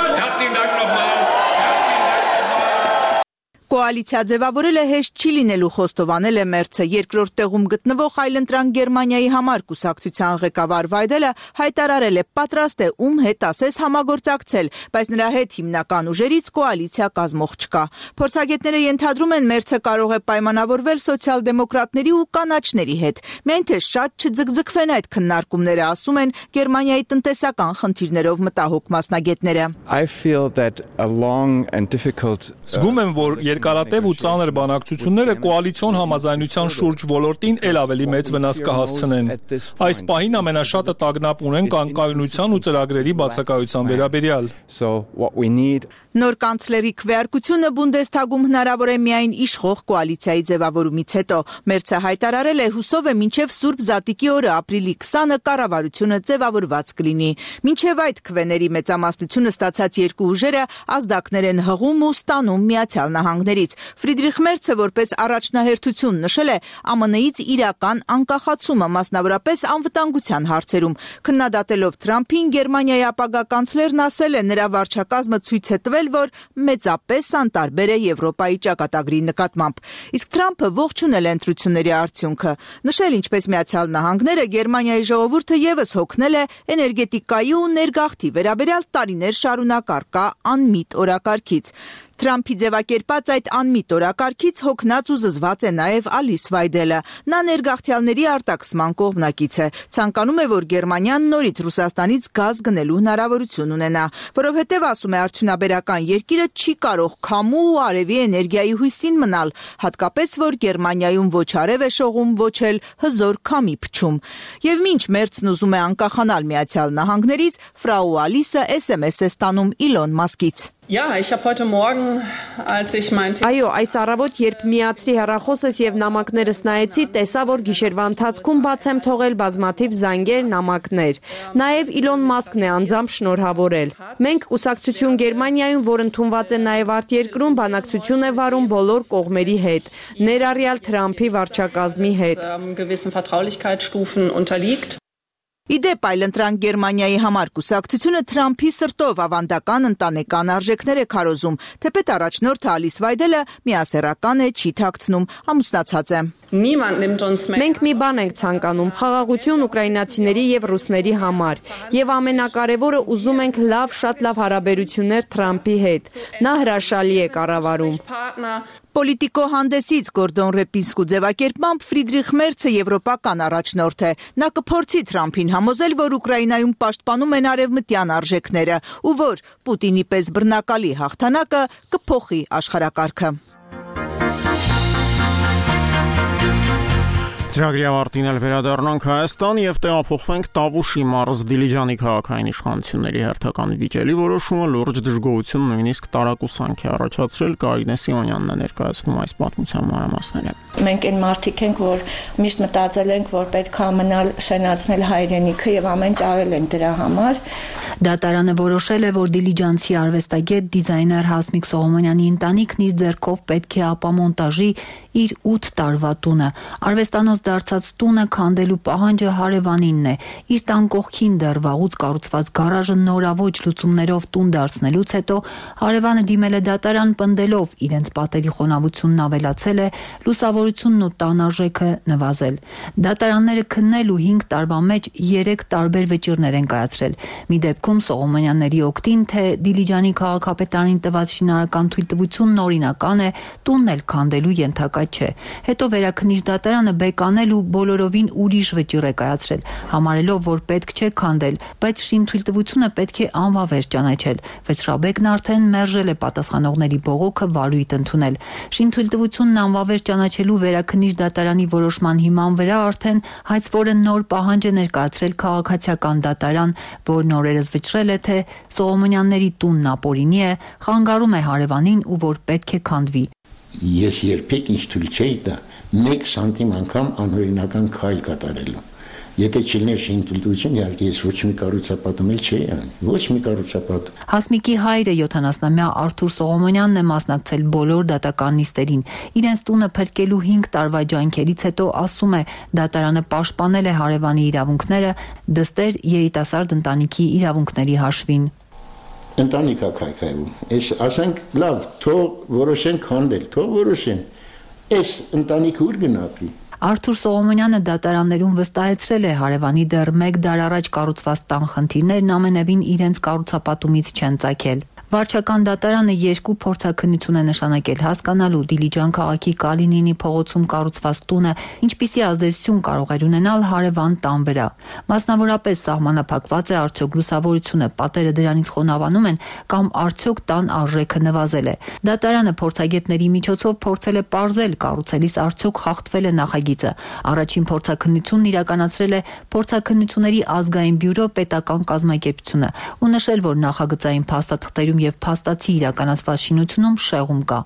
Կոալիցիա ձևավորելը հեշտ չի լինելու, խոստովանել է Մերցը։ Երկրորդ տեղում գտնվող այլընտրանք Գերմանիայի համար կուսակցության ղեկավար Վայդելը հայտարարել է պատրաստ է ում հետ ասես համագործակցել, բայց նրա հետ հիմնական ուժերից կոալիցիա կազմող չկա։ Փորձագետները ենթադրում են Մերցը կարող է պայմանավորվել սոցիալ-դեմոկրատների ու կանաչների հետ։ Միայն թե շատ չձգձգվեն այդ քննարկումները, ասում են Գերմանիայի տնտեսական խնդիրներով մտահոգ մասնագետները։ Զգում եմ, որ երկարատև ու ծանր բանակցությունները կոալիցիոն համաձայնության շուրջ ոլորտին ել ավելի մեծ վնաս կհասցնեն։ Այս պահին ամենաշատը տագնապ ունեն կանկայունության ու ծրագրերի բացակայության վերաբերյալ։ Նոր կանցլերի քվեարկությունը Բունդեսթագում հնարավոր է միայն իշխող կոալիցիայի ձևավորումից հետո։ Մերցը հայտարարել է հուսով է մինչև Սուրբ Զատիկի օրը ապրիլի քսանը կառավարությունը ձևավորված կլինի։ Մինչև այդ քվեների մեծամասնությունը ստացած երկու ուժերը ազդակներ են հղում ու ստանում Միացյալ Նահանգներից։ Ֆրիդրիխ Մերցը որպես առաջնահերթություն նշել է Α M N-ից իրական անկախացումը, մասնավորապես անվտանգության հարցերում։ Քննադատելով Թրամփին, Գերմանիայի ապագա կանցլերն ասել է, նրա վարչակազմը ցույց է տվել, որ մեծապես անտարբեր է Եվրոպայի ճակատագրի նկատմամբ։ Իսկ Թրամփը ողջունել է ընտրությունների արդյունքը, նշել ինչպես Միացյալ Նահանգները Գերմանիայի ժողովուրդը եւս հոգնել է էներգետիկայի ու ներգաղթի վերաբերյալ տարիներ շարունակ առկա անմիտ օրակարգից։ Թրամփի ձևակերպած այդ անմիտ օրակարգից հոգնած ու զզված է նաև Ալիս Վայդելը։ Նա ներգաղթյալների արտաքսման կողմնակից է։ Ցանկանում է, որ Գերմանիան նորից Ռուսաստանից գազ գնելու հնարավորություն ունենա, որովհետև ասում է արդյունաբերական երկիրը չի կարող քամու ու արևի էներգիայի հույսին մնալ, հատկապես որ Գերմանիայում ոչ արև է շողում, ոչ էլ հզոր քամի փչում։ Եվ մինչ Մերցն ուզում է անկախանալ Միացյալ Նահանգներից, Ֆրաու Ալիսը S M S է ստանում Իլոն Մասկից։ Ja, ich habe heute Morgen, als ich mein Այո, այս առավոտ, երբ միացրի հեռախոսս եւ նամակներս նայեցի, տեսա, որ գիշերվա ընթացքում բաց եմ թողել բազմաթիվ զանգեր, նամակներ։ Նաեւ Իլոն Մասկն է անձամբ շնորհավորել։ Մենք կուսակցություն Գերմանիայում, որ ընդունված է նաեւ արտերկրում, բանակցություն է վարում բոլոր կողմերի հետ, ներառյալ Թրամփի վարչակազմի հետ։ gewissen Vertraulichkeitsstufen unterliegt. Իդեպ այլընտրանք Գերմանիայի համար կուսակցությունը Թրամփի սրտով ավանդական ընտանեկան արժեքներ է քարոզում, թեպետ առաջնորդը Ալիս Վայդելը միասեռական է, չի թաքցնում, ամուսնացած է։ Մենք մի բան ենք ցանկանում՝ խաղաղություն ուկրաինացիների եւ ռուսների համար, եւ ամենակարևորը ուզում ենք լավ, շատ լավ հարաբերություններ Թրամփի հետ։ Նա հրաշալի է կառավարում։ Պոլիտիկո հանդեսից Գորդոն Ռեպինսկու ձևակերպմամբ Ֆրիդրիխ Մերցը եվրոպական առաջնորդ է։ Նա կփորձի Թրամփին համոզել, որ Ուկրաինայում պաշտպանում են արևմտյան արժեքները ու որ Պուտինի պես բռնակալի հաղթանակը կփոխի աշխարհակարգը։ Ծրագրի ավարտին էլ վերադառնանք Հայաստան եւ տեղափոխվենք Տավուշի մարզ Դիլիջանի քաղաքային իշխանությունների հերթական վիճելի որոշումը լուրջ դժգոհություն նույնիսկ տարակուսանք է առաջացրել Կարինե Սիմոնյանն է ներկայացնում այս պատմության մանրամասները։ Մենք այն մարդիկ ենք, որ միշտ մտածել ենք, որ պետք է մնալ շենացնել հայրենիքը եւ ամեն ինչ արել ենք դրա համար։ Դատարանը որոշել է, որ դիլիջանցի արվեստագետ դիզայներ Հասմիկ Սողոմոնյանի ընտանիքն իր ձեռքով պետք է ապամոնտաժի իր ութ տարվա տունը։ Արվեստանոց դարձած տունը քանդելու պահանջը հարևանինն է։ Իր տան կողքին դեռ վաղուց կառուցված գարաժը նորավոճ լուծումներով տուն դարձնելուց հետո հարևանը դիմել է դատարան պնդելով իրենց պատերի խոնավությունն ավելացել է, լուսավորությունն ու տան արժեքը նվազել։ Դատարանները քննել ու հինգ տարվա մեջ երեք տարբեր վճիռներ են կայացրել։ Մի դեպքում Սողոմոնյանների օգտին, թե Դիլիջանի քաղաքապետարանի տված շինարարական թույլտվությունն օրինական է, տունն էլ քանդելու ենթակա չէ։ Հետո վերաքննիչ դատարանը բեկանել ու բոլորովին ուրիշ վճիռ է կայացրել, համարելով, որ պետք չէ քանդել, բայց շինթույլտվությունը պետք է անվավեր ճանաչել։ Վճռաբեկն արդեն մերժել է պատասխանողների բողոքը վարույթ ընդունել։ Շինթույլտվությունն անվավեր ճանաչելու վերաքննիչ դատարանի որոշման հիման վրա արդեն հայցվորը նոր պահանջ է ներկայացրել քաղաքացիական դատարան, որն օրերս վճռել է, թե Սողոմոնյանների տունն ապօրինի է, խանգարում է հարևանին ու որ պետք է քանդվի։ Ես երբեք ինձ թույլ չէի տա մեկ սանտիմ անգամ անօրինական քայլ կատարելու։ Եթե չլիներ շինթույլտվություն, իհարկե ես ոչ մի կառուցապատում էլ չէի անի, ոչ մի կառուցապատում։ Հասմիկի հայրը յոթանասնամյա Արթուր Սողոմոնյանն է մասնակցել բոլոր դատական նիստերին։ Իրենց տունը փրկելու հինգ տարվա ջանքերից հետո ասում է, դատարանը պաշտպանել է հարևանի իրավունքները, դստեր երիտասարդ ընտանիքի իրավունքների հաշվին։ Ընտանիքա քայքայվում։ Այս ասենք լավ, թող որոշեն քանդել, թող որոշեն։ Այս ընտանիքը ուր գնապի։ Արթուր Սողոմոնյանը դատարաններում վստահեցրել է հարևանի դեռ մեկ դար առաջ կառուցված տան խնդիրներն ամենևին իրենց կառուցապատումից չեն ծագել։ Վարչական դատարանը երկու փորձաքննություն է նշանակել հասկանալու Դիլիջան քաղաքի Կալինինի փողոցում կառուցված տունը ինչպիսի ազդեցություն կարող է ունենալ հարևան տան վրա։ Մասնավորապես սահմանափակված է արդյոք լուսավորությունը, պատերը դրանից խոնավանում են կամ արդյոք տան արժեքը նվազել է։ Դատարանը փորձագետների միջոցով փորձել է պարզել կառուցելիս արդյոք խախտվել է նախագիծը։ Առաջին փորձաքննությունն իրականացրել է Փորձաքննությունների ազգային բյուրո պետական կազմակերպությունը ու նշել, որ նախագծային փաստաթղթերում եւ փաստացի իրականացված շինությունում շեղում կա։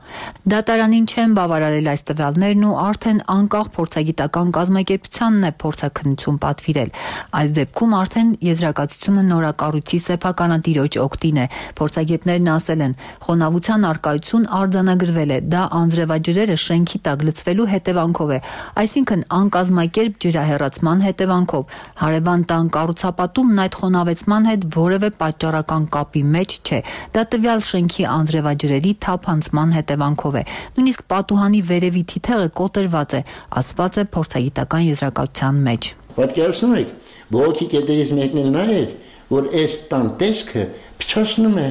Դատարանին չեն բավարարել այս տվյալներն ու արդեն անկախ փորձագիտական կազմակերպությանն է փորձաքննություն պատվիրել։ Այս դեպքում արդեն եզրակացությունը նորակառույցի սեփականատիրոջ օգտին է։ Փորձագետներն ասել են, խոնավության արկայություն արձանագրվել է, դա անձրևաջրերը շենքի տակ լցվելու հետևանքով է, այսինքն անկազմակերպ ջրահեռացման հետևանքով։ Հարևան տան կառուցապատումն այդ խոնավեցման հետ որևէ պատճառական կապի մեջ չէ։ Դա տվյալ շենքի անձրևաջրերի թափանցման հետևանքով է։ Նույնիսկ պատուհանի վերևի թիթեղը կոտրված է, ասված է փորձագիտական եզրակացության մեջ։ Պատկերացնում եք, բողոքի կետերից մեկն էլ նա էր, որ այս տան տեսքը փչացնում է,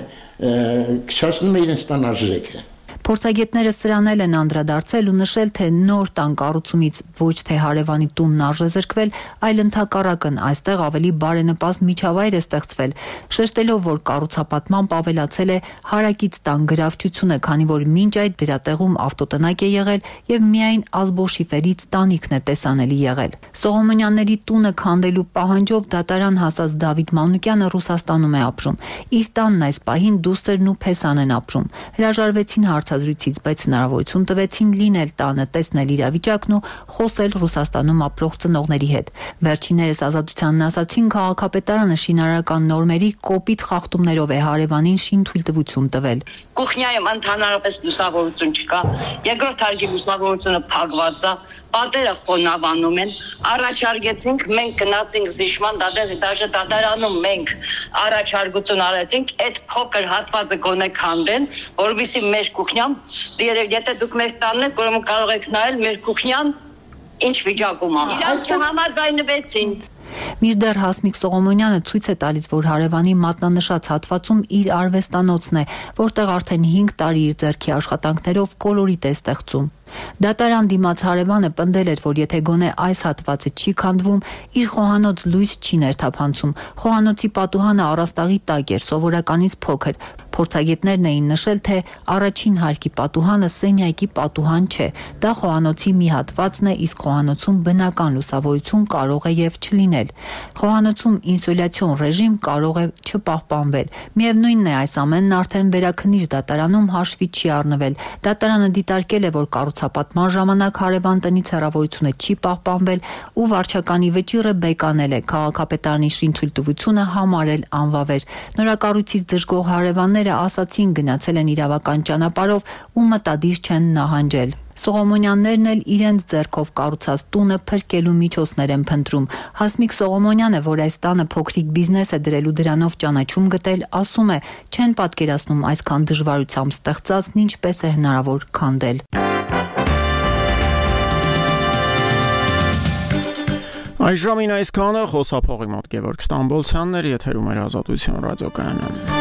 փչացնում է իրենց տան արժեքը։ Փորձագետները սրանել են անդրադարձել ու նշել, թե նոր տան կառուցումից ոչ թե հարևանի տունն արժե զրկվել, այլ ընդհակառակն այստեղ ավելի բարենպաստ միջավայր է ստեղծվել, շեշտելով, որ կառուցապատմամբ ավելացել է հարակից տան գրավչությունը, քանի որ մինչ այդ դրա տեղում ավտոտնակ է եղել եւ միայն ազբոշիֆերից տանիքն է տեսանելի եղել։ Սողոմոնյանների տունը քանդելու պահանջով դատարան հասած Դավիթ Մանուկյանը Ռուսաստանում է ապրում։ Իր տանն այս պահին դուստերն ու Փեսան են ապրում։ Հրաժարվեցին հարցազրույցից, բայց հնարավորություն տվեցին լինել տանը, տեսնել իրավիճակն ու խոսել Ռուսաստանում ապրող ծնողների հետ։ Վերջիններս ազատությանն ասացին, քաղաքապետարանը շինարարական նորմերի կոպիտ խախտումներով է հարևանին շինթույլտվություն տվել։ Կուխնյայում ընդհանրապես լուսավորություն չկա, երկրորդ հարկի լուսավորությունը փակված է, պատերը խոնավանում են, առաջարկեցինք, մենք գնացինք զիջման դաժե դատարանում մենք առաջարկություն արեցինք, այդ փոքր հատվածը գոնե քանդեն, որովհետեւ մեր կուխնյան, եթե դուք մեզ տանն եք, ուրեմն կարող եք նայել մեր կուխնյան ինչ վիճակում է։ Իրանք չհամաձայնվեցին։ Մինչդեռ Հասմիկ Սողոմոնյանը ցույց է տալիս, որ հարևանի մատնանշած հատվածում իր արվեստանոցն է, որտեղ արդեն հինգ տարի իր ձեռքի աշխատանքներով կոլորիտ է ստեղծում։ Դատարան դիմաց հարևանը պնդել էր, որ եթե գոնե այս հատվածը չի քանդվում, իր խոհանոց լույս չի ներթափանցում։ Խոհանոցի պատուհանը առաստաղի տակ էր, սովորականից փոքր։ Փորձագետներն էին նշել, թե առաջին հարկի պատուհանը սենյակի պատուհան չէ։ Դա խոհանոցի մի հատվածն է, իսկ խոհանոցում բնական լուսավորություն կարող է եւ չլինել։ Խոհանոցում ինսոլյացիոն ռեժիմ կարող է չպահպանվել։ Միևնույնն է, այս ամենն արդեն վերաքննիչ դատարանում հաշվի չի առնվել։ Դատարանը դիտարկել է, որ կառուցապատման ժամանակ հարևան տնից հեռավորությունը չի պահպանվել ու վարչականի վճիռը բեկանել է։ Քաղաքապետարանի շինթույլտվությունը համարել անվավեր։ Նորակառույցից դժգոհ հարևանները ասացին գնացել են իրավական ճանապարհով ու մտադիր չեն նահանջել։ Սողոմոնյաններն էլ իրենց ձեռքով կառուցած տունը փրկելու միջոցներ են փնտրում։ Հասմիկ Սողոմոնյանը, որ այս տանը փոքրիկ բիզնես է դրելու դրանով ճանաչում գտել, ասում է, չեն պատկերացնում այսքան դժվարությամբ ստեղծածն ինչպես է հնարավոր քանդել։ Այժմին այսքանը խոսափողի մոտ Գևորգ Ստամբոլցյանն էր, եթերում էր Ազատություն ռադիոկայանը։